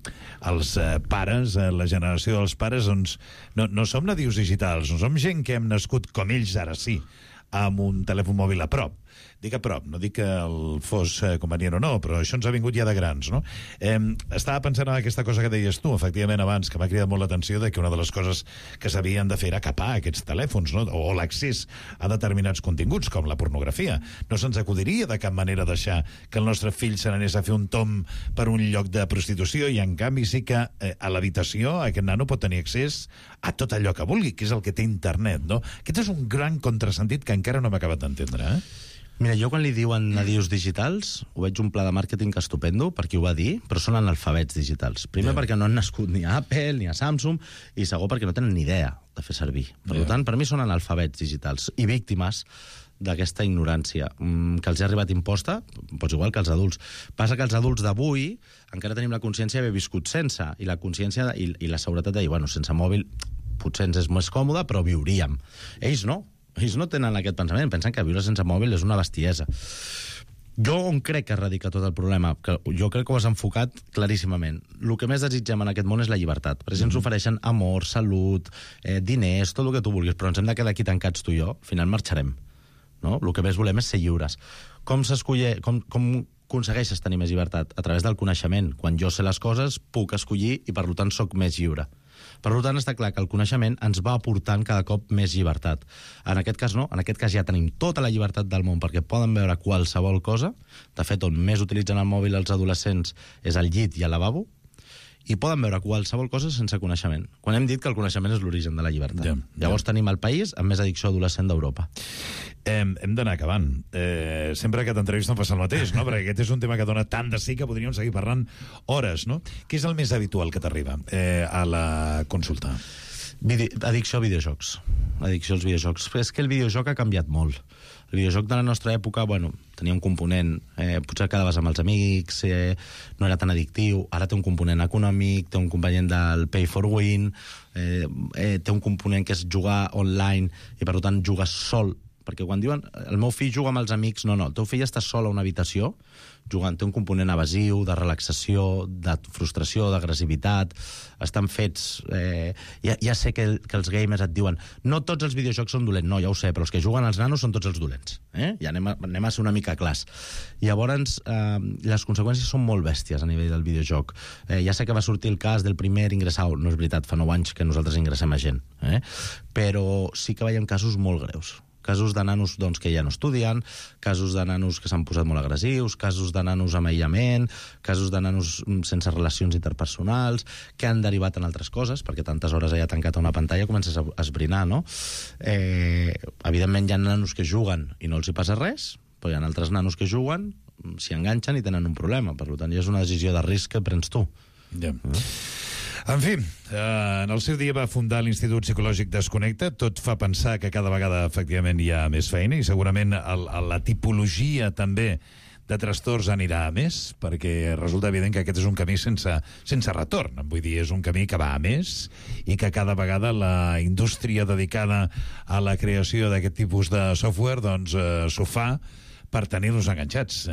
els pares, la generació dels pares, doncs, no som nadius digitals, no som gent que hem nascut com ells ara sí, amb un telèfon mòbil a prop. Dic a prop, no dic que el fos convenient o no, però això ens ha vingut ja de grans, no? Estava pensant en aquesta cosa que deies tu, efectivament, abans, que m'ha cridat molt l'atenció de que una de les coses que s'havien de fer era capar aquests telèfons, no? O l'accés a determinats continguts, com la pornografia. No se'ns acudiria de cap manera deixar que el nostre fill se n'anés a fer un tom per un lloc de prostitució i, en canvi, sí que a l'habitació aquest nano pot tenir accés a tot allò que vulgui, que és el que té internet, no? Aquest és un gran contrasentit que encara no m'he acabat d'entendre, Mira, jo quan li diuen nadius digitals, ho veig un pla de màrqueting estupendo, per qui ho va dir, però són analfabets digitals. Primer perquè no han nascut ni a Apple ni a Samsung, i segon perquè no tenen ni idea de fer servir. Per tant, per mi són analfabets digitals i víctimes d'aquesta ignorància que els ha arribat imposta, doncs igual que els adults. Passa que els adults d'avui encara tenim la consciència d'haver viscut sense, i la consciència i la seguretat de dir, bueno, sense mòbil potser ens és més còmode, però viuríem. Ells no. Ells no tenen aquest pensament, pensen que viure sense mòbil és una bestiesa. Jo on crec que radica tot el problema, que jo crec que ho has enfocat claríssimament. El que més desitgem en aquest món és la llibertat. Per exemple, ens ofereixen amor, salut, diners, tot el que tu vulguis, però ens hem de quedar aquí tancats tu i jo, al final marxarem. No? El que més volem és ser lliures. Com aconsegueixes tenir més llibertat? A través del coneixement. Quan jo sé les coses, puc escollir i, per tant, soc més lliure. Per tant, està clar que el coneixement ens va aportant cada cop més llibertat. En aquest cas no, en aquest cas ja tenim tota la llibertat del món perquè poden veure qualsevol cosa. De fet, on més utilitzen el mòbil els adolescents és al llit i al lavabo, i poden veure qualsevol cosa sense coneixement. Quan hem dit que el coneixement és l'origen de la llibertat. Llavors tenim el país amb més addicció adolescent d'Europa. Hem d'anar acabant. Sempre que t'entrevisto em passa el mateix, no? Perquè aquest és un tema que dona tant de sí que podríem seguir parlant hores, no? Què és el més habitual que t'arriba a la consulta? Addicció a videojocs. Addicció als videojocs. És que el videojoc ha canviat molt. El videojoc de la nostra època, bueno, tenia un component, potser quedaves amb els amics, no era tan addictiu, ara té un component econòmic, té un component del pay for win, té un component que és jugar online i per tant jugar sol, perquè quan diuen el meu fill juga amb els amics, no, el teu fill està sol a una habitació jugant, té un component evasiu, de relaxació, de frustració, d'agressivitat, estan fets... Ja sé que els gamers et diuen no tots els videojocs són dolents, no, ja ho sé, però els que juguen als nanos són tots els dolents. Ja anem a ser una mica clars. Llavors, les conseqüències són molt bèsties a nivell del videojoc. Ja sé que va sortir el cas del primer ingressat, no és veritat, fa 9 anys que nosaltres ingressem a gent, però sí que veiem casos molt greus. Casos de nanos que ja no estudien, casos de nanos que s'han posat molt agressius, casos de nanos amb aïllament, casos de nanos sense relacions interpersonals, que han derivat en altres coses, perquè tantes hores allà tancat a una pantalla comences a esbrinar, no? Evidentment hi ha nanos que juguen i no els hi passa res, però hi ha altres nanos que juguen, s'hi enganxen i tenen un problema. Per tant, ja és una decisió de risc que prens tu. Ja. En fi, en el seu dia va fundar l'Institut Psicològic Desconnecta. Tot fa pensar que cada vegada efectivament hi ha més feina i segurament la tipologia també de trastorns anirà a més, perquè resulta evident que aquest és un camí sense retorn. Vull dir, és un camí que va a més i que cada vegada la indústria dedicada a la creació d'aquest tipus de software doncs s'ho fa per tenir-los enganxats,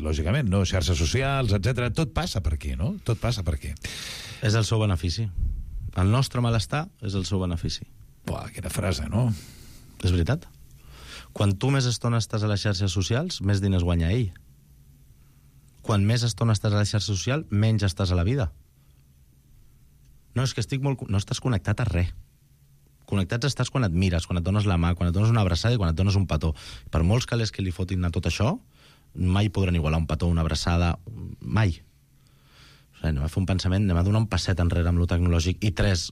lògicament, no? Xarxes socials, etc. Tot passa per aquí, no? Tot passa per aquí. És el seu benefici. El nostre malestar és el seu benefici. Buah, quina frase, no? És veritat. Quan tu més estona estàs a les xarxes socials, més diners guanya ell. Quan més estona estàs a la xarxa social, menys estàs a la vida. No, és que no estàs connectat a res. Connectats estàs quan et mires, quan et dones la mà, quan et dones una abraçada i quan et dones un petó. Per molts calés que li fotin a tot això, mai podran igualar un petó, una abraçada, mai. O sigui, anem a fer un pensament, anem a donar un passet enrere amb lo tecnològic i 3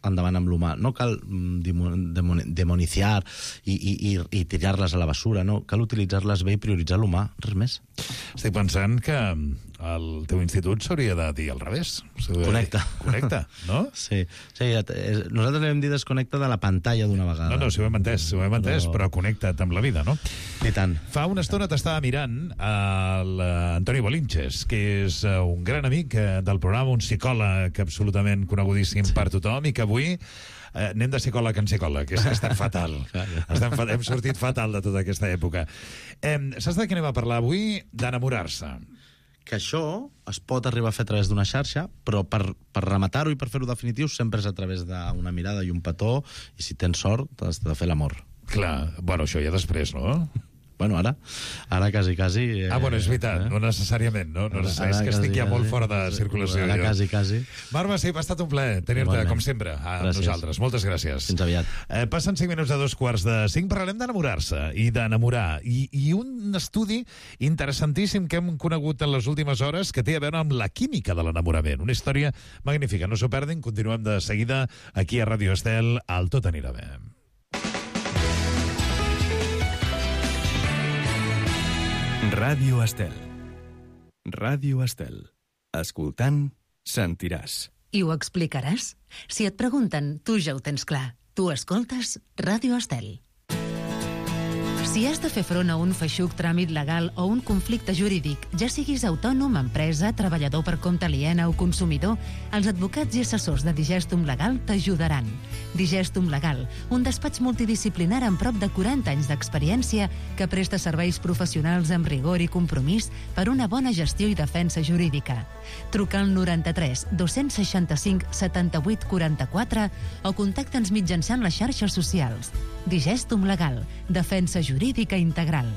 endavant amb l'humà. No cal demoniciar i tirar-les a la basura, no. Cal utilitzar-les bé i prioritzar l'humà, res més. Estic pensant que el teu institut s'hauria de dir al revés. Connecta. Connecta, no? Sí. Nosaltres l'hem dit desconnecta de la pantalla d'una vegada. No, si ho hem entès, però connecta't amb la vida, no? I tant. Fa una estona t'estava mirant l'Antoni Bolinches, que és un gran amic del programa, un psicòleg absolutament conegudíssim per tothom, i que avui anem de psicòleg en psicòleg, que és que ha estat fatal. Hem sortit fatal de tota aquesta època. Saps de què anem a parlar avui? D'enamorar-se. Que això es pot arribar a fer a través d'una xarxa, però per rematar-ho i per fer-ho definitiu sempre és a través d'una mirada i un petó, i si tens sort has de fer l'amor. Clar, bueno, això ja després, no? Bueno, ara quasi... bueno, és veritat, no necessàriament, no? És que estic ja molt fora de circulació. Ara quasi. Marva, sí, ha estat un plaer tenir-te, com sempre, a nosaltres. Moltes gràcies. Fins aviat. Passen 5 minuts a 2:45, parlarem d'enamorar-se i d'enamorar. I un estudi interessantíssim que hem conegut en les últimes hores que té a veure amb la química de l'enamorament. Una història magnífica. No s'ho perdin, continuem de seguida aquí a Ràdio Estel, al Tot anirà bé. Ràdio Estel. Ràdio Estel. Escoltant, sentiràs. I ho explicaràs? Si et pregunten, tu ja ho tens clar. Tu escoltes Ràdio Estel. Si has de fer front a un feixuc tràmit legal o un conflicte jurídic, ja siguis autònom, empresa, treballador per compte aliena o consumidor, els advocats i assessors de Digestum Legal t'ajudaran. Digestum Legal, un despatx multidisciplinar amb prop de 40 anys d'experiència que presta serveis professionals amb rigor i compromís per una bona gestió i defensa jurídica. Truca al 93 265 78 44 o contacta'ns mitjançant les xarxes socials. Digestum Legal, defensa jurídica integral.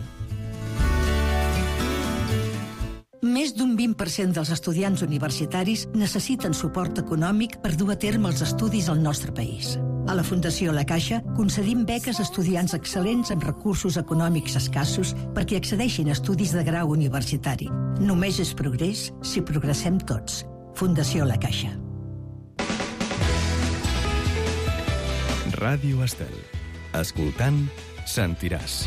Més d'un 20% dels estudiants universitaris necessiten suport econòmic per dur a terme els estudis al nostre país. A la Fundació La Caixa concedim beques a estudiants excel·lents amb recursos econòmics escassos perquè accedeixin a estudis de grau universitari. Només és progrés si progressem tots. Fundació La Caixa. Ràdio Estel. Escoltant, sentiràs.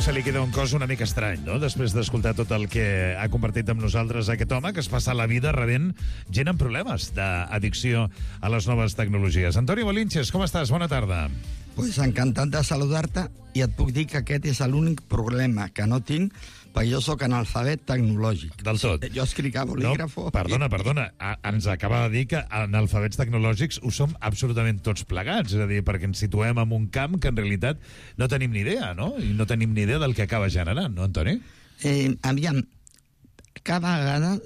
Se li queda un cos una mica estrany, no? Després d'escoltar tot el que ha compartit amb nosaltres aquest home que es passa la vida rebent gent amb problemes d'addicció a les noves tecnologies. Antoni Bolinches, com estàs? Bona tarda. Pues encantat de saludar-te i et puc dir que aquest és l'únic problema que no tinc perquè jo sóc analfabet tecnològic. Del tot. Jo escric a bolígrafo. No, perdona. Ens acaba de dir que analfabets tecnològics ho som absolutament tots plegats. És a dir, perquè ens situem en un camp que en realitat no tenim ni idea, no? I no tenim ni idea del que acaba generant, no, Antoni? Aviam, cada vegada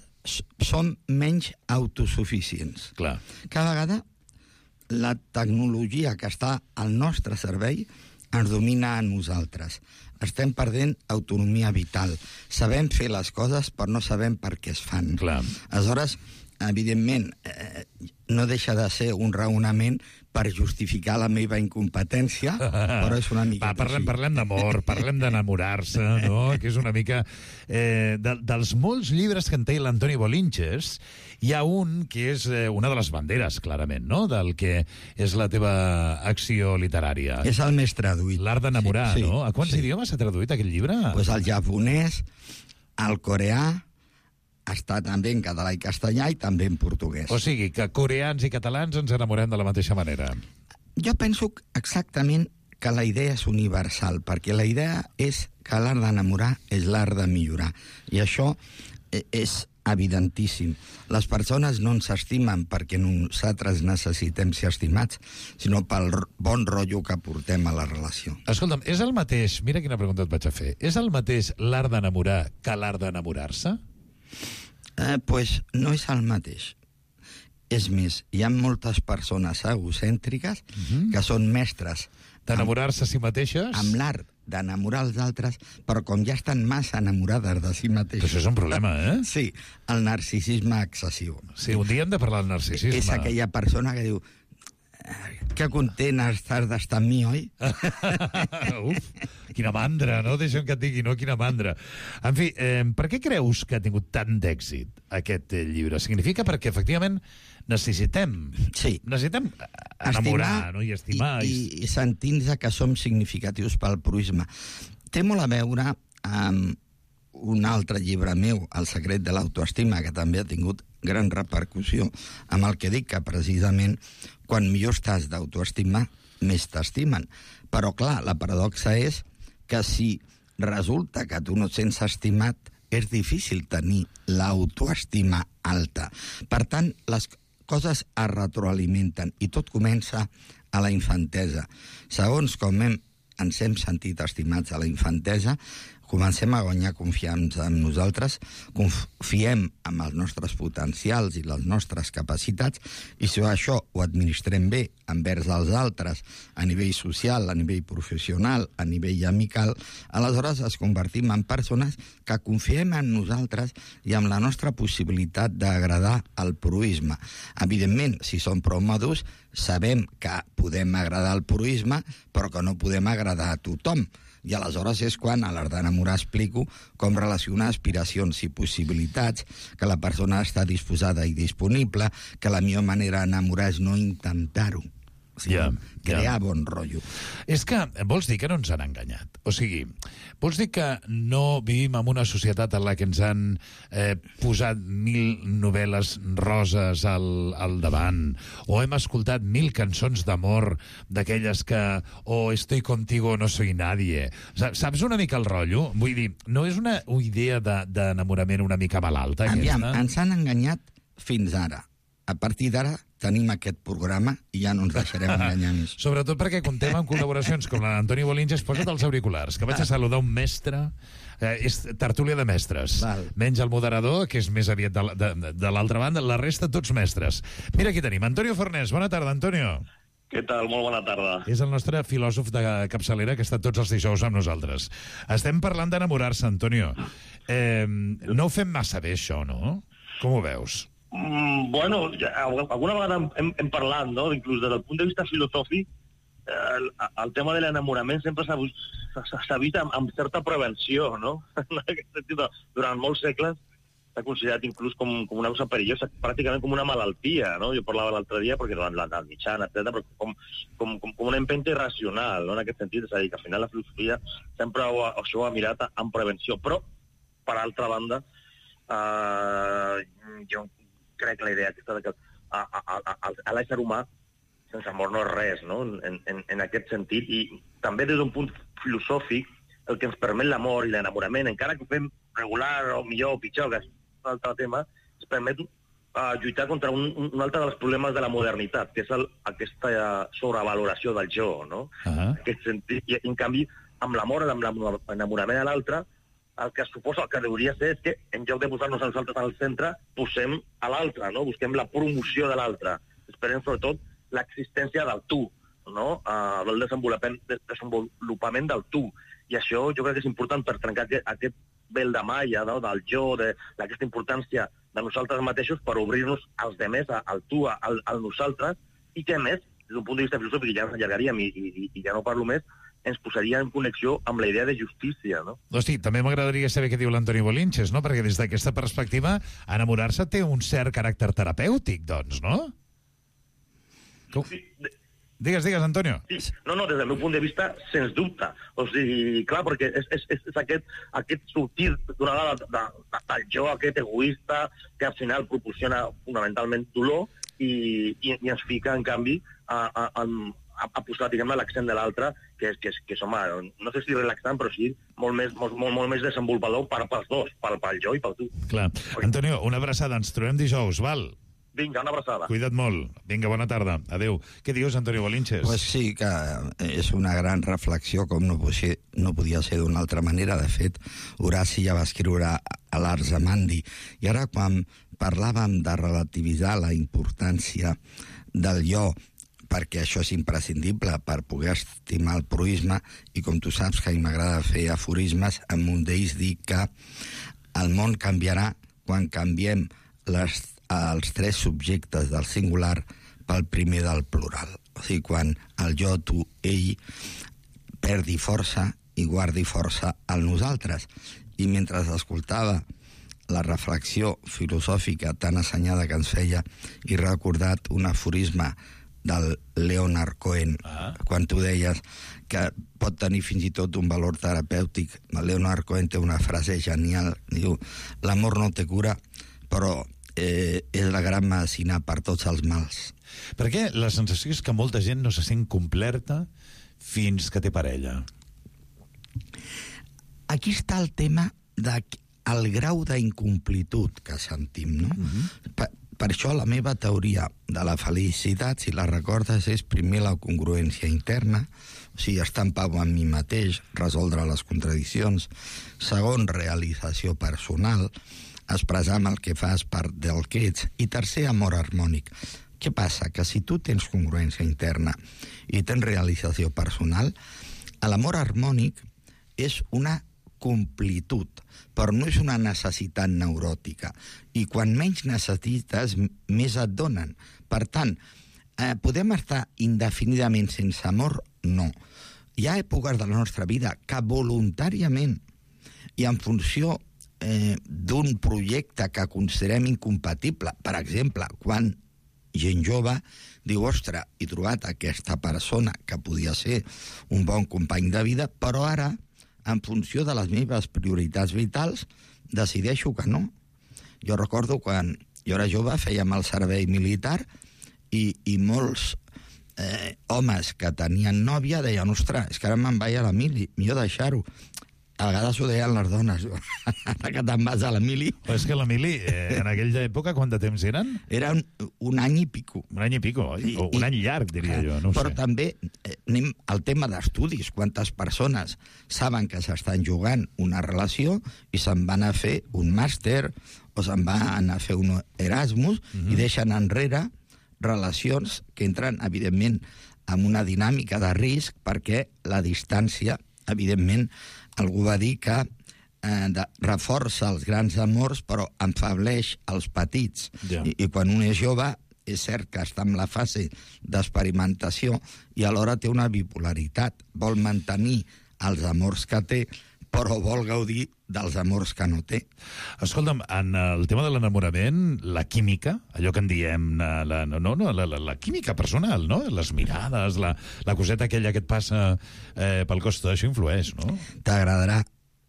som menys autosuficients. Clar. Cada vegada la tecnologia que està al nostre servei ens domina a nosaltres. Estem perdent autonomia vital. Sabem fer les coses, però no sabem per què es fan. Clar. Aleshores, evidentment, no deixa de ser un raonament per justificar la meva incompetència, però és una mica... Parlem d'amor, parlem d'enamorar-se, no? Que és una mica... dels molts llibres que en té l'Antoni Bolinches, hi ha un que és una de les banderes, clarament, no? Del que és la teva acció literària. És el més traduït. L'art d'enamorar, sí, no? A quants idiomes s'ha traduït aquest llibre? Pues al japonès, al coreà, està també en català i castellà i també en portuguès. O sigui, que coreans i catalans ens enamorem de la mateixa manera. Jo penso exactament que la idea és universal, perquè la idea és que l'art d'enamorar és l'art de millorar. I això és evidentíssim. Les persones no ens estimen perquè nosaltres necessitem ser estimats, sinó pel bon rotllo que portem a la relació. Escolta'm, és el mateix, mira quina pregunta et vaig a fer, és el mateix l'art d'enamorar que l'art d'enamorar-se? Pues no és el mateix. És més, hi ha moltes persones egocèntriques que són mestres d'enamorar-se a si mateixes? Amb l'art d'enamorar els altres, però com ja estan massa enamorades de si mateixos. Això és un problema, eh? Sí, el narcisisme excessiu. Sí, un dia hem de parlar del narcisisme. És aquella persona que diu que content estàs d'estar amb mi, oi? Uf, quina mandra, no? Deixa'm que et digui, no? Quina mandra. En fi, per què creus que ha tingut tant d'èxit aquest llibre? Significa perquè, efectivament, necessitem enamorar, no? I estimar. I sentir-nos que som significatius pel proisme. Té molt a veure amb un altre llibre meu, El secret de l'autoestima, que també ha tingut gran repercussió, amb el que dic que precisament quan millor estàs d'autoestima, més t'estimen. Però clar, la paradoxa és que si resulta que tu no et sents estimat, és difícil tenir l'autoestima alta. Per tant, les coses es retroalimenten i tot comença a la infantesa. Segons com ens hem sentit estimats a la infantesa, comencem a guanyar confiança en nosaltres, confiem en els nostres potencials i les nostres capacitats, i si això ho administrem bé envers els altres, a nivell social, a nivell professional, a nivell amical, aleshores es convertim en persones que confiem en nosaltres i en la nostra possibilitat d'agradar al proisme. Evidentment, si som prou madurs, sabem que podem agradar al proisme, però que no podem agradar a tothom. I aleshores és quan a l'art d'enamorar explico com relacionar aspiracions i possibilitats, que la persona està disposada i disponible, que la millor manera d'enamorar és no intentar-ho. Crear bon rotllo. És que vols dir que no ens han enganyat? O sigui, vols dir que no vivim en una societat en la que ens han posat 1000 novel·les roses al davant, o hem escoltat 1000 cançons d'amor d'aquelles que estoy contigo, no soy nadie. Saps una mica el rotllo? Vull dir, no és una idea d'enamorament una mica malalta, aquesta? Aviam, ens han enganyat fins ara. A partir d'ara tenim aquest programa i ja no ens deixarem enganyar més. Sobretot perquè contem amb col·laboracions com la d'Antoni Bolinges. Posa't els auriculars, que vaig a saludar un mestre. És tertúlia de mestres. Menys el moderador, que és més aviat de l'altra banda, la resta tots mestres. Mira, aquí tenim Antonio Fornés. Bona tarda, Antonio. Què tal? Molt bona tarda. És el nostre filòsof de capçalera que està tots els dijous amb nosaltres. Estem parlant d'enamorar-se, Antonio. No ho fem massa bé, això, no? Com ho veus? Bueno, alguna vegada hem parlat, no? Inclús des del punt de vista filosòfic, el tema de l'enamorament sempre s'ha vist amb certa prevenció, no? En aquest sentit, durant molts segles s'ha considerat inclús com una cosa perillosa, pràcticament com una malaltia, no? Jo parlava l'altre dia, perquè durant l'edat mitjana, etc., però com una empenta irracional, no? En aquest sentit, és a dir, que al final la filosofia sempre això ho ha mirat amb prevenció, però, per altra banda, jo crec que la idea aquesta de que a l'ésser humà sense amor no és res, no? En aquest sentit, i també des d'un punt filosòfic, el que ens permet l'amor i l'enamorament, encara que ho fem regular o millor o pitjor, que és un altre tema, ens permet lluitar contra un altre dels problemes de la modernitat, que és aquesta sobrevaloració del jo, no? En aquest sentit, i en canvi, amb l'amor, amb l'enamorament a l'altre, el que suposa, el que hauria ser és que en lloc de posar-nos a nosaltres al centre, posem a l'altre, no? Busquem la promoció de l'altre. Esperem sobretot l'existència del tu, no? El desenvolupament del tu. I això jo crec que és important per trencar aquest vel de malla, no? Del jo, d'aquesta importància de nosaltres mateixos per obrir-nos als demés, al tu, al nosaltres, i que a més, des d'un punt de vista filosòfic, ja ens allargaríem i ja no parlo més, ens posaria en connexió amb la idea de justícia, no? Hosti, també m'agradaria saber què diu l'Antoni Bolinches, no? Perquè des d'aquesta perspectiva, enamorar-se té un cert caràcter terapèutic, doncs, no? Sí. Digues, Antonio. Sí. No, des del meu punt de vista, sens dubte. O sigui, clar, perquè és aquest sortir d'una vegada del jo, aquest egoista, que al final proporciona fonamentalment dolor i ens fica, en canvi, a posar, diguem-ne, l'accent de l'altre, que és, home, no sé si relaxant, però sí molt més desenvolupador pels dos, pel jo i pel tu. Clar. Antonio, una abraçada, ens trobem dijous, val? Vinga, una abraçada. Cuida't molt. Vinga, bona tarda. Adéu. Què dius, Antonio Bolinches? Pues sí, que és una gran reflexió, com no podia ser d'una altra manera. De fet, Horaci ja va escriure a l'Ars Amandi. I ara, quan parlàvem de relativitzar la importància del jo, perquè això és imprescindible per poder estimar el proisme, i com tu saps que a mi m'agrada fer aforismes, en un d'ells dic que el món canviarà quan canviem els tres subjectes del singular pel primer del plural. O sigui, quan el jo, tu, ell perdi força i guardi força al nosaltres. I mentre escoltava la reflexió filosòfica tan assenyada que ens feia, he recordat un aforisme del Leonard Cohen, quan tu deies que pot tenir fins i tot un valor terapèutic. El Leonard Cohen té una frase genial, diu: l'amor no té cura, però és la gran medicina per tots els mals. Perquè la sensació és que molta gent no se sent completa fins que té parella. Aquí està el tema del grau d'incomplitud que sentim, no? Per això la meva teoria de la felicitat, si la recordes, és primer la congruència interna, o sigui, estar en pau amb mi mateix, resoldre les contradiccions. Segon, realització personal, expressar amb el que fas part del que ets. I tercer, amor harmònic. Què passa? Que si tu tens congruència interna i tens realització personal, l'amor harmònic és una completud, però no és una necessitat neuròtica. I quan menys necessites, més et donen. Per tant, podem estar indefinidament sense amor? No. Hi ha èpoques de la nostra vida que voluntàriament i en funció d'un projecte que considerem incompatible, per exemple, quan gent jove diu: ostres, he trobat aquesta persona que podia ser un bon company de vida, però ara, en funció de les meves prioritats vitals, decideixo que no. Jo recordo quan jo era jove, fèiem el servei militar i molts homes que tenien nòvia deien: ostres, és que ara me'n vaig a la mili, millor deixar-ho. A vegades ho deien les dones, ara que te'n vas a la mili. Però és que la mili, en aquella època, quant de temps eren? Era un any i pico. Un any i pico, oi? O un any llarg, diria jo, no ho sé. Però també anem al tema d'estudis. Quantes persones saben que s'estan jugant una relació i se'n van a fer un màster o se'n van a fer un Erasmus i deixen enrere relacions que entren, evidentment, en una dinàmica de risc, perquè la distància, evidentment, algú va dir que reforça els grans amors però enfableix els petits. I quan un és jove, és cert que està en la fase d'experimentació i alhora té una bipolaritat. Vol mantenir els amors que té, però vol gaudir dels amors que no té. Escolta'm, en el tema de l'enamorament, la química, allò que en diem, la química personal, no? Les mirades, la coseta aquella que et passa pel cos, tot això influeix, no? T'agradarà.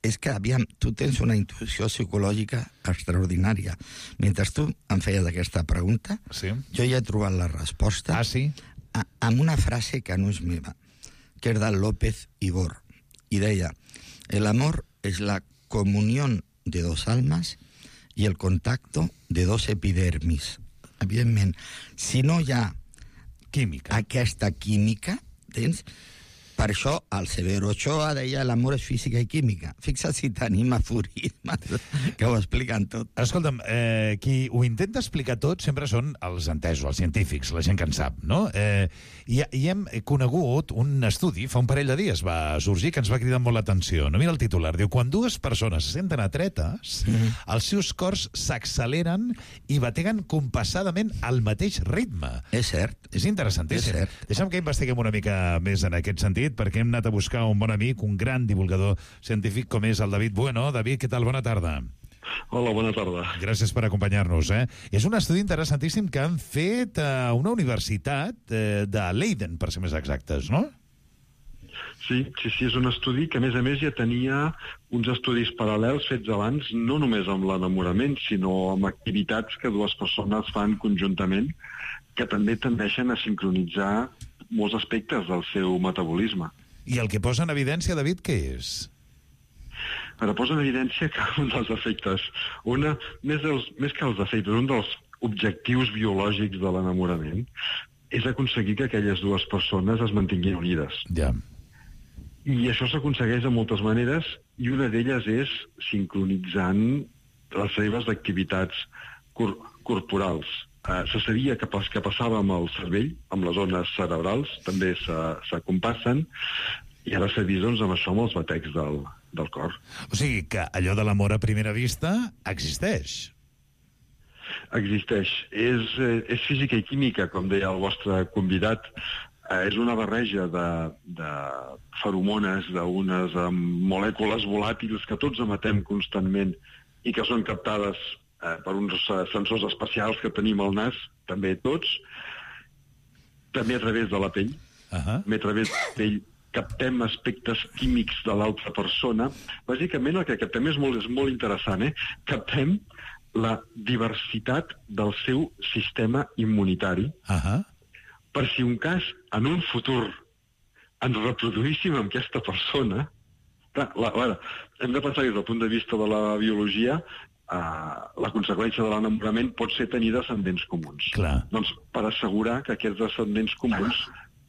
És que, aviam, tu tens una intuïció psicològica extraordinària. Mentre tu em feies aquesta pregunta, jo ja he trobat la resposta amb una frase que no és meva, que és del López Ibor, i deia: el amor es la comunión de dos almas y el contacto de dos epidermis. Evidentment, si no hi ha aquesta química, tens... Per això el Severo Ochoa deia: l'amor és física i química. Fixa't si tenim aforismes que ho expliquen tot. Escolta'm, qui ho intenta explicar tot sempre són els entesos, els científics, la gent que en sap, no? I hem conegut un estudi, fa un parell de dies va sorgir, que ens va cridar molt l'atenció. No? Mira el titular, diu: quan dues persones se senten atretes, els seus cors s'acceleren i bateguen compassadament al mateix ritme. És cert. És interessantíssim. És cert. Deixa'm que investiguem una mica més en aquest sentit, perquè hem anat a buscar un bon amic, un gran divulgador científic com és el David Bueno. David, què tal? Bona tarda. Hola, bona tarda. Gràcies per acompanyar-nos. És un estudi interessantíssim que han fet a una universitat de Leiden, per ser més exactes, no? Sí, és un estudi que, a més, ja tenia uns estudis paral·lels fets abans, no només amb l'enamorament, sinó amb activitats que dues persones fan conjuntament, que també tendeixen a sincronitzar molts aspectes del seu metabolisme. I el que posa en evidència, David, què és? Ara posa en evidència que un dels efectes, més que els efectes, un dels objectius biològics de l'enamorament és aconseguir que aquelles dues persones es mantinguin unides. Ja. I això s'aconsegueix de moltes maneres, i una d'elles és sincronitzant les seves activitats corporals. Se sabia que passava amb el cervell, amb les zones cerebrals, també s'acompassen, i ara s'ha vist amb això amb els batecs del cor. O sigui que allò de l'amor a primera vista existeix. Existeix. És física i química, com deia el vostre convidat. És una barreja de feromones, d'unes molècules volàtils que tots emetem constantment i que són captades per uns sensors especials que tenim al nas, també tots, també a través de la pell. També a través de la pell captem aspectes químics de l'altra persona. Bàsicament el que captem és molt interessant, captem la diversitat del seu sistema immunitari, per si un cas, en un futur, ens reproduíssim amb aquesta persona. Hem de pensar des del punt de vista de la biologia, la conseqüència de l'enamorament pot ser tenir descendents comuns. Doncs per assegurar que aquests descendents comuns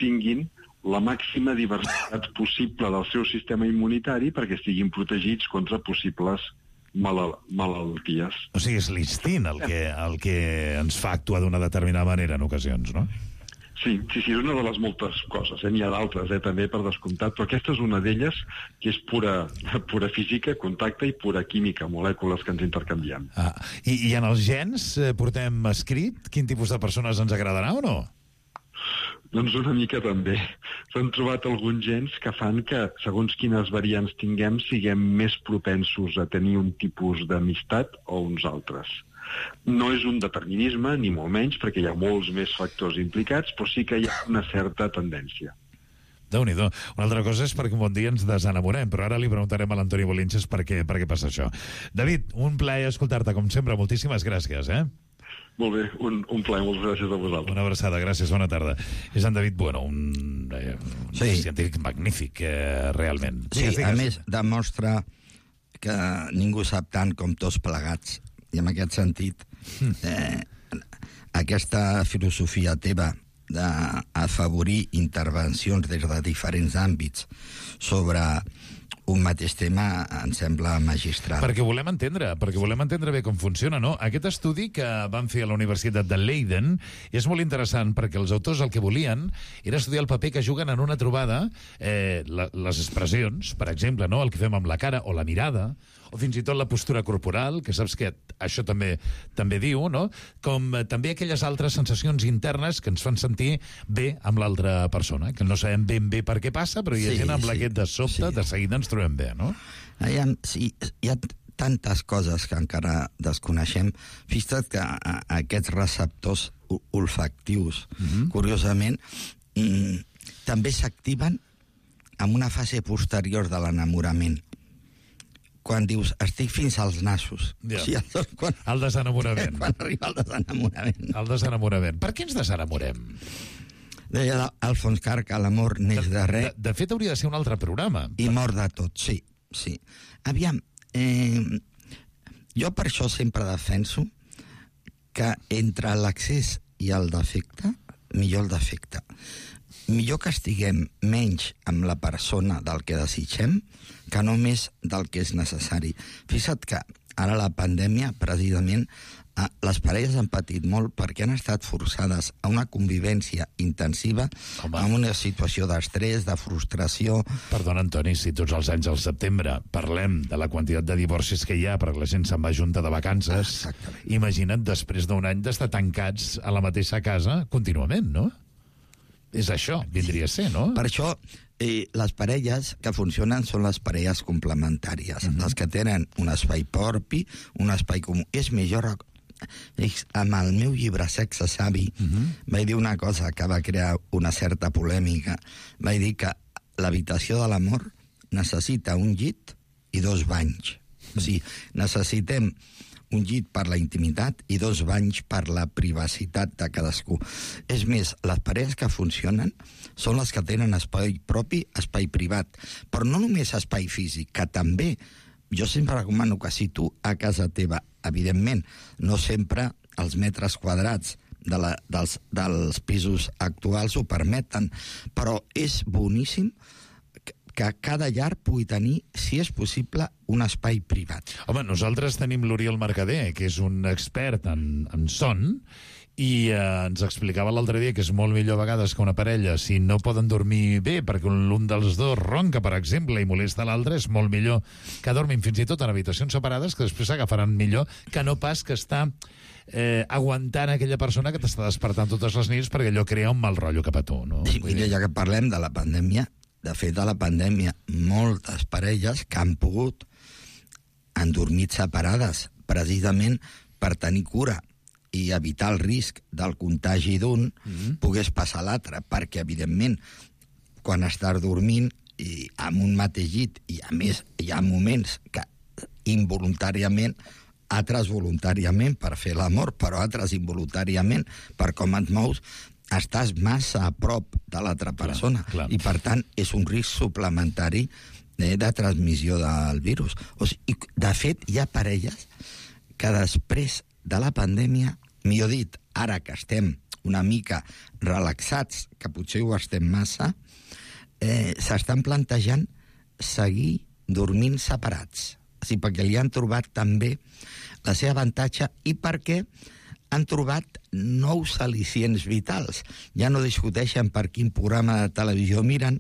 tinguin la màxima diversitat possible del seu sistema immunitari perquè estiguin protegits contra possibles malalties. O sigui, és l'instint el que ens fa actuar d'una determinada manera en ocasions, no? Sí, és una de les moltes coses. N'hi ha d'altres, també, per descomptat, però aquesta és una d'elles que és pura física, contacte i pura química, molècules que ens intercanviem. I en els gens portem escrit quin tipus de persones ens agradarà o no? Doncs una mica també. S'han trobat alguns gens que fan que, segons quines variants tinguem, siguem més propensos a tenir un tipus d'amistat o uns altres. No és un determinisme, ni molt menys, perquè hi ha molts més factors implicats, però sí que hi ha una certa tendència. Déu-n'hi-do. Una altra cosa és perquè un bon dia ens desenamorem, però ara li preguntarem a l'Antoni Bolinches per què passa això. David, un plaer escoltar-te, com sempre. Moltíssimes gràcies, Molt bé, un plaer, moltes gràcies a vosaltres. Una abraçada, gràcies, bona tarda. És en David Bueno, un científic magnífic, realment. Sí, a més, demostra que ningú sap tant com tots plegats. I en aquest sentit, aquesta filosofia teva d'afavorir intervencions des de diferents àmbits sobre un mateix tema em sembla magistral. Perquè volem entendre bé com funciona, no? Aquest estudi que van fer a la Universitat de Leiden és molt interessant perquè els autors el que volien era estudiar el paper que juguen en una trobada les expressions, per exemple, no? El que fem amb la cara o la mirada, o fins i tot la postura corporal, que saps que això també diu, no? Com també aquelles altres sensacions internes que ens fan sentir bé amb l'altra persona, que no sabem ben bé per què passa, però hi ha gent amb la que de sobte, de seguida ens trobem bé, no? Sí, hi ha tantes coses que encara desconeixem. Fixa't que aquests receptors olfactius, curiosament, també s'activen en una fase posterior de l'enamorament. Quan dius, estic fins als nassos. Ja. O sigui, el desenamorament. Quan arriba el desenamorament. El desenamorament. Per què ens desenamorem? Deia Alfons Carr que l'amor neix de res. De fet, hauria de ser un altre programa. I mor de tot, sí. Aviam, jo per això sempre defenso que entre l'accés i el defecte, millor el defecte. Millor que estiguem menys amb la persona del que desitgem que només del que és necessari. Fixa't que ara la pandèmia, precisament, les parelles han patit molt perquè han estat forçades a una convivència intensiva en una situació d'estrès, de frustració. Perdona, Antoni, si tots els anys al setembre parlem de la quantitat de divorcis que hi ha perquè la gent se'n va junta de vacances, imagina't després d'un any d'estar tancats a la mateixa casa contínuament, no? És això, vindria a ser, no? Per això, les parelles que funcionen són les parelles complementàries, les que tenen un espai propi, un espai comú. És millor... Amb el meu llibre Sexe Savi vaig dir una cosa que va crear una certa polèmica. Vaig dir que l'habitació de l'amor necessita un llit i 2 banys. O sigui, necessitem un llit per la intimitat i 2 banys per la privacitat de cadascú. És més, les parelles que funcionen són les que tenen espai propi, espai privat, però no només espai físic, que també. Jo sempre recomano que si tu a casa teva, evidentment, no sempre els metres quadrats dels pisos actuals ho permeten, però és boníssim que cada llar pugui tenir, si és possible, un espai privat. Home, nosaltres tenim l'Oriol Mercader, que és un expert en son, i ens explicava l'altre dia que és molt millor a vegades que una parella, si no poden dormir bé perquè un dels dos ronca, per exemple, i molesta l'altre, és molt millor que dormin fins i tot en habitacions separades, que després s'agafaran millor, que no pas que està aguantant aquella persona que t'està despertant totes les nits perquè allò crea un mal rotllo cap a tu, no? Sí, mira, ja que parlem de la pandèmia, de fet, a la pandèmia, moltes parelles que han pogut han dormit separades, precisament per tenir cura i evitar el risc del contagi d'un pogués passar a l'altre, perquè, evidentment, quan estàs dormint i amb un mateix llit, i a més hi ha moments que involuntàriament, altres voluntàriament per fer l'amor, però altres involuntàriament per com et mous, estàs massa a prop de l'altra persona. Clar. I, per tant, és un risc suplementari de transmissió del virus. O sigui, de fet, hi ha parelles que després de la pandèmia, millor dit, ara que estem una mica relaxats, que potser ho estem massa, s'estan plantejant seguir dormint separats. O sigui, perquè li han trobat també la seva avantatge i perquè han trobat nous al·licients vitals. Ja no discuteixen per quin programa de televisió miren.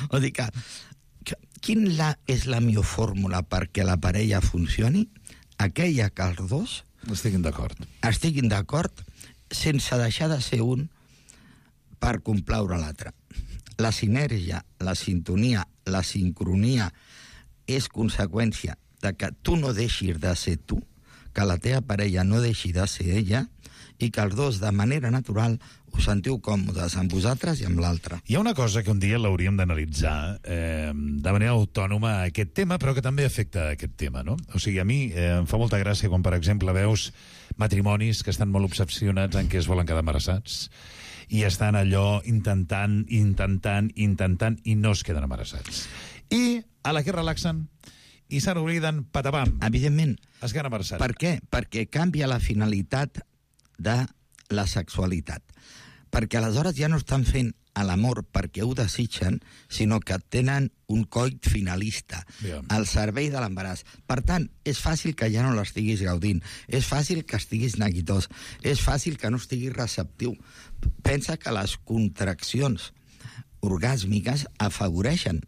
O dir que quina és la millor fórmula perquè la parella funcioni? Aquella que els dos estiguin d'acord sense deixar de ser un per complaure l'altre. La sinergia, la sintonia, la sincronia és conseqüència de que tu no deixis de ser tu, que la teva parella no deixi de ser ella i que els dos, de manera natural, us sentiu còmodes amb vosaltres i amb l'altre. Hi ha una cosa que un dia l'hauríem d'analitzar de manera autònoma a aquest tema, però que també afecta aquest tema, no? O sigui, a mi em fa molta gràcia quan, per exemple, veus matrimonis que estan molt obsessionats en què es volen quedar embarassats i estan allò intentant i no es queden embarassats. I a la que relaxen i se n'obliden, patapam. Evidentment. Es queden embarassats. Per què? Perquè canvia la finalitat de la sexualitat. Perquè aleshores ja no estan fent l'amor perquè ho desitgen, sinó que tenen un coit finalista, al servei de l'embaràs. Per tant, és fàcil que ja no l'estiguis gaudint, és fàcil que estiguis neguitós, és fàcil que no estiguis receptiu. Pensa que les contraccions orgàsmiques afavoreixen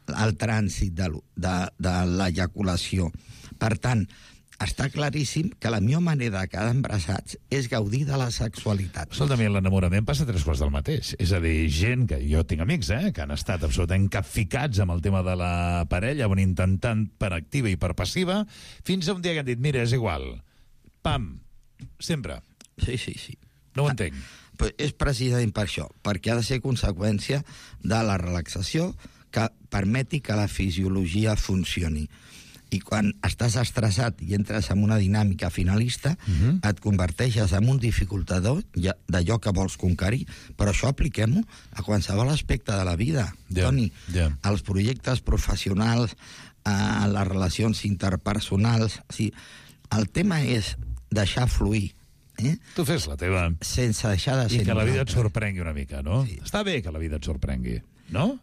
el trànsit de l'ejaculació. Per tant, està claríssim que la millor manera de quedar embarassats és gaudir de la sexualitat. Escolta, a l'enamorament passa 3 quarts del mateix. És a dir, gent que jo tinc amics, que han estat absolutament capficats amb el tema de la parella, van intentant per activa i per passiva, fins a un dia que han dit, mira, és igual. Pam. Sempre. Sí. No ho entenc. És precisament per això, perquè ha de ser conseqüència de la relaxació que permeti que la fisiologia funcioni. I quan estàs estressat i entres en una dinàmica finalista, et converteixes en un dificultador d'allò que vols conquerir. Però això apliquem-ho a qualsevol aspecte de la vida, Toni. Als projectes professionals, a les relacions interpersonals. O sigui, el tema és deixar fluir. Tu fes la teva. Sense deixar de ser I que la vida et sorprengui una mica, no? Sí. Està bé que la vida et sorprengui, no?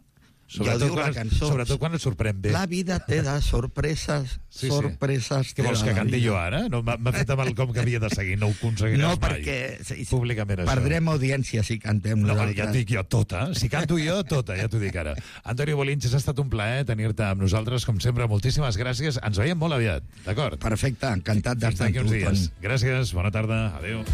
Sobretot quan et sorprèn bé. La vida té de sorpreses, sorpreses... Què vols que canti jo ara? No, m'ha fet amb el com que havia de seguir, no ho aconseguiràs mai. No, perquè públicament això. Perdrem audiència si cantem nosaltres. No, ja et dic jo tota. Si canto jo, tota, ja t'ho dic ara. Antonio Bolinches, ha estat un plaer tenir-te amb nosaltres, com sempre. Moltíssimes gràcies. Ens veiem molt aviat, d'acord? Perfecte, encantat d'estar amb tu, Toni. Gràcies, bona tarda, adéu.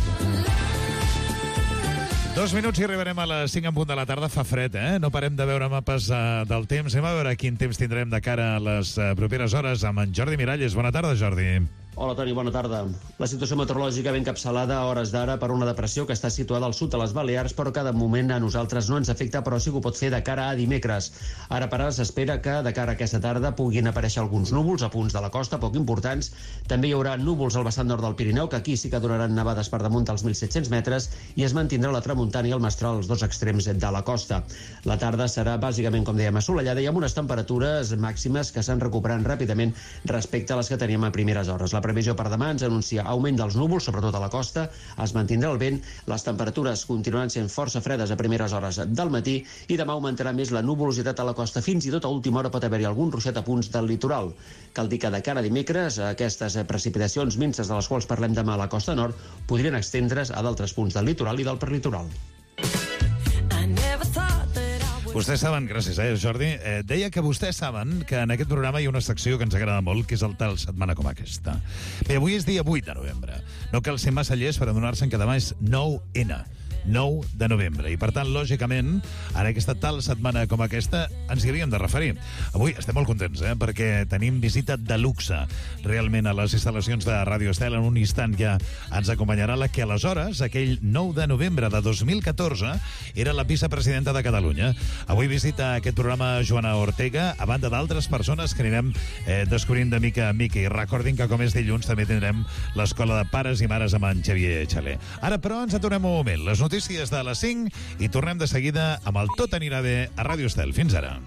2 minuts i arribarem a les 5 en punt de la tarda. Fa fred, No parem de veure mapes del temps. Anem a veure quin temps tindrem de cara a les properes hores amb en Jordi Miralles. Bona tarda, Jordi. Hola, Toni, bona tarda. La situació meteorològica ben encapçalada a hores d'ara per una depressió que està situada al sud de les Balears, però que de moment a nosaltres no ens afecta, però sí que ho pot fer de cara a dimecres. Ara per ara s'espera que de cara a aquesta tarda puguin aparèixer alguns núvols a punts de la costa, poc importants. També hi haurà núvols al vessant nord del Pirineu, que aquí sí que donaran nevades per damunt dels 1.700 metres, i es mantindrà la tramuntana i el mestral als dos extrems de la costa. La tarda serà bàsicament, com dèiem, assolellada i amb unes temperatures màximes que s'han recuperat ràpidament respecte a les que teníem a primeres hores. La previsió per demà ens anuncia augment dels núvols, sobretot a la costa, es mantindrà el vent, les temperatures continuaran sent força fredes a primeres hores del matí i demà augmentarà més la nuvolositat a la costa. Fins i tot a última hora pot haver-hi algun ruixat a punts del litoral. Cal dir que de cara a dimecres aquestes precipitacions minces de les quals parlem demà a la costa nord podrien extendre's a d'altres punts del litoral i del perlitoral. Vostès saben, gràcies, Jordi, deia que vostès saben que en aquest programa hi ha una secció que ens agrada molt, que és el tal setmana com aquesta. Bé, avui és dia 8 de novembre. No cal ser massa llest per adonar-se'n que demà és 9N. 9 de novembre. I, per tant, lògicament, en aquesta tal setmana com aquesta, ens hi havíem de referir. Avui estem molt contents, perquè tenim visita de luxe, realment, a les instal·lacions de Ràdio Estel. En un instant ja ens acompanyarà la que aleshores, aquell 9 de novembre de 2014, era la vicepresidenta de Catalunya. Avui visita aquest programa Joana Ortega, a banda d'altres persones que anirem descobrint de mica en mica. I recordin que, com és dilluns, també tindrem l'Escola de Pares i Mares amb en Xavier Xaler. Ara, però, ens aturem un moment. Les notícies de les 5 i tornem de seguida amb el Tot anirà bé a Ràdio Estel. Fins ara.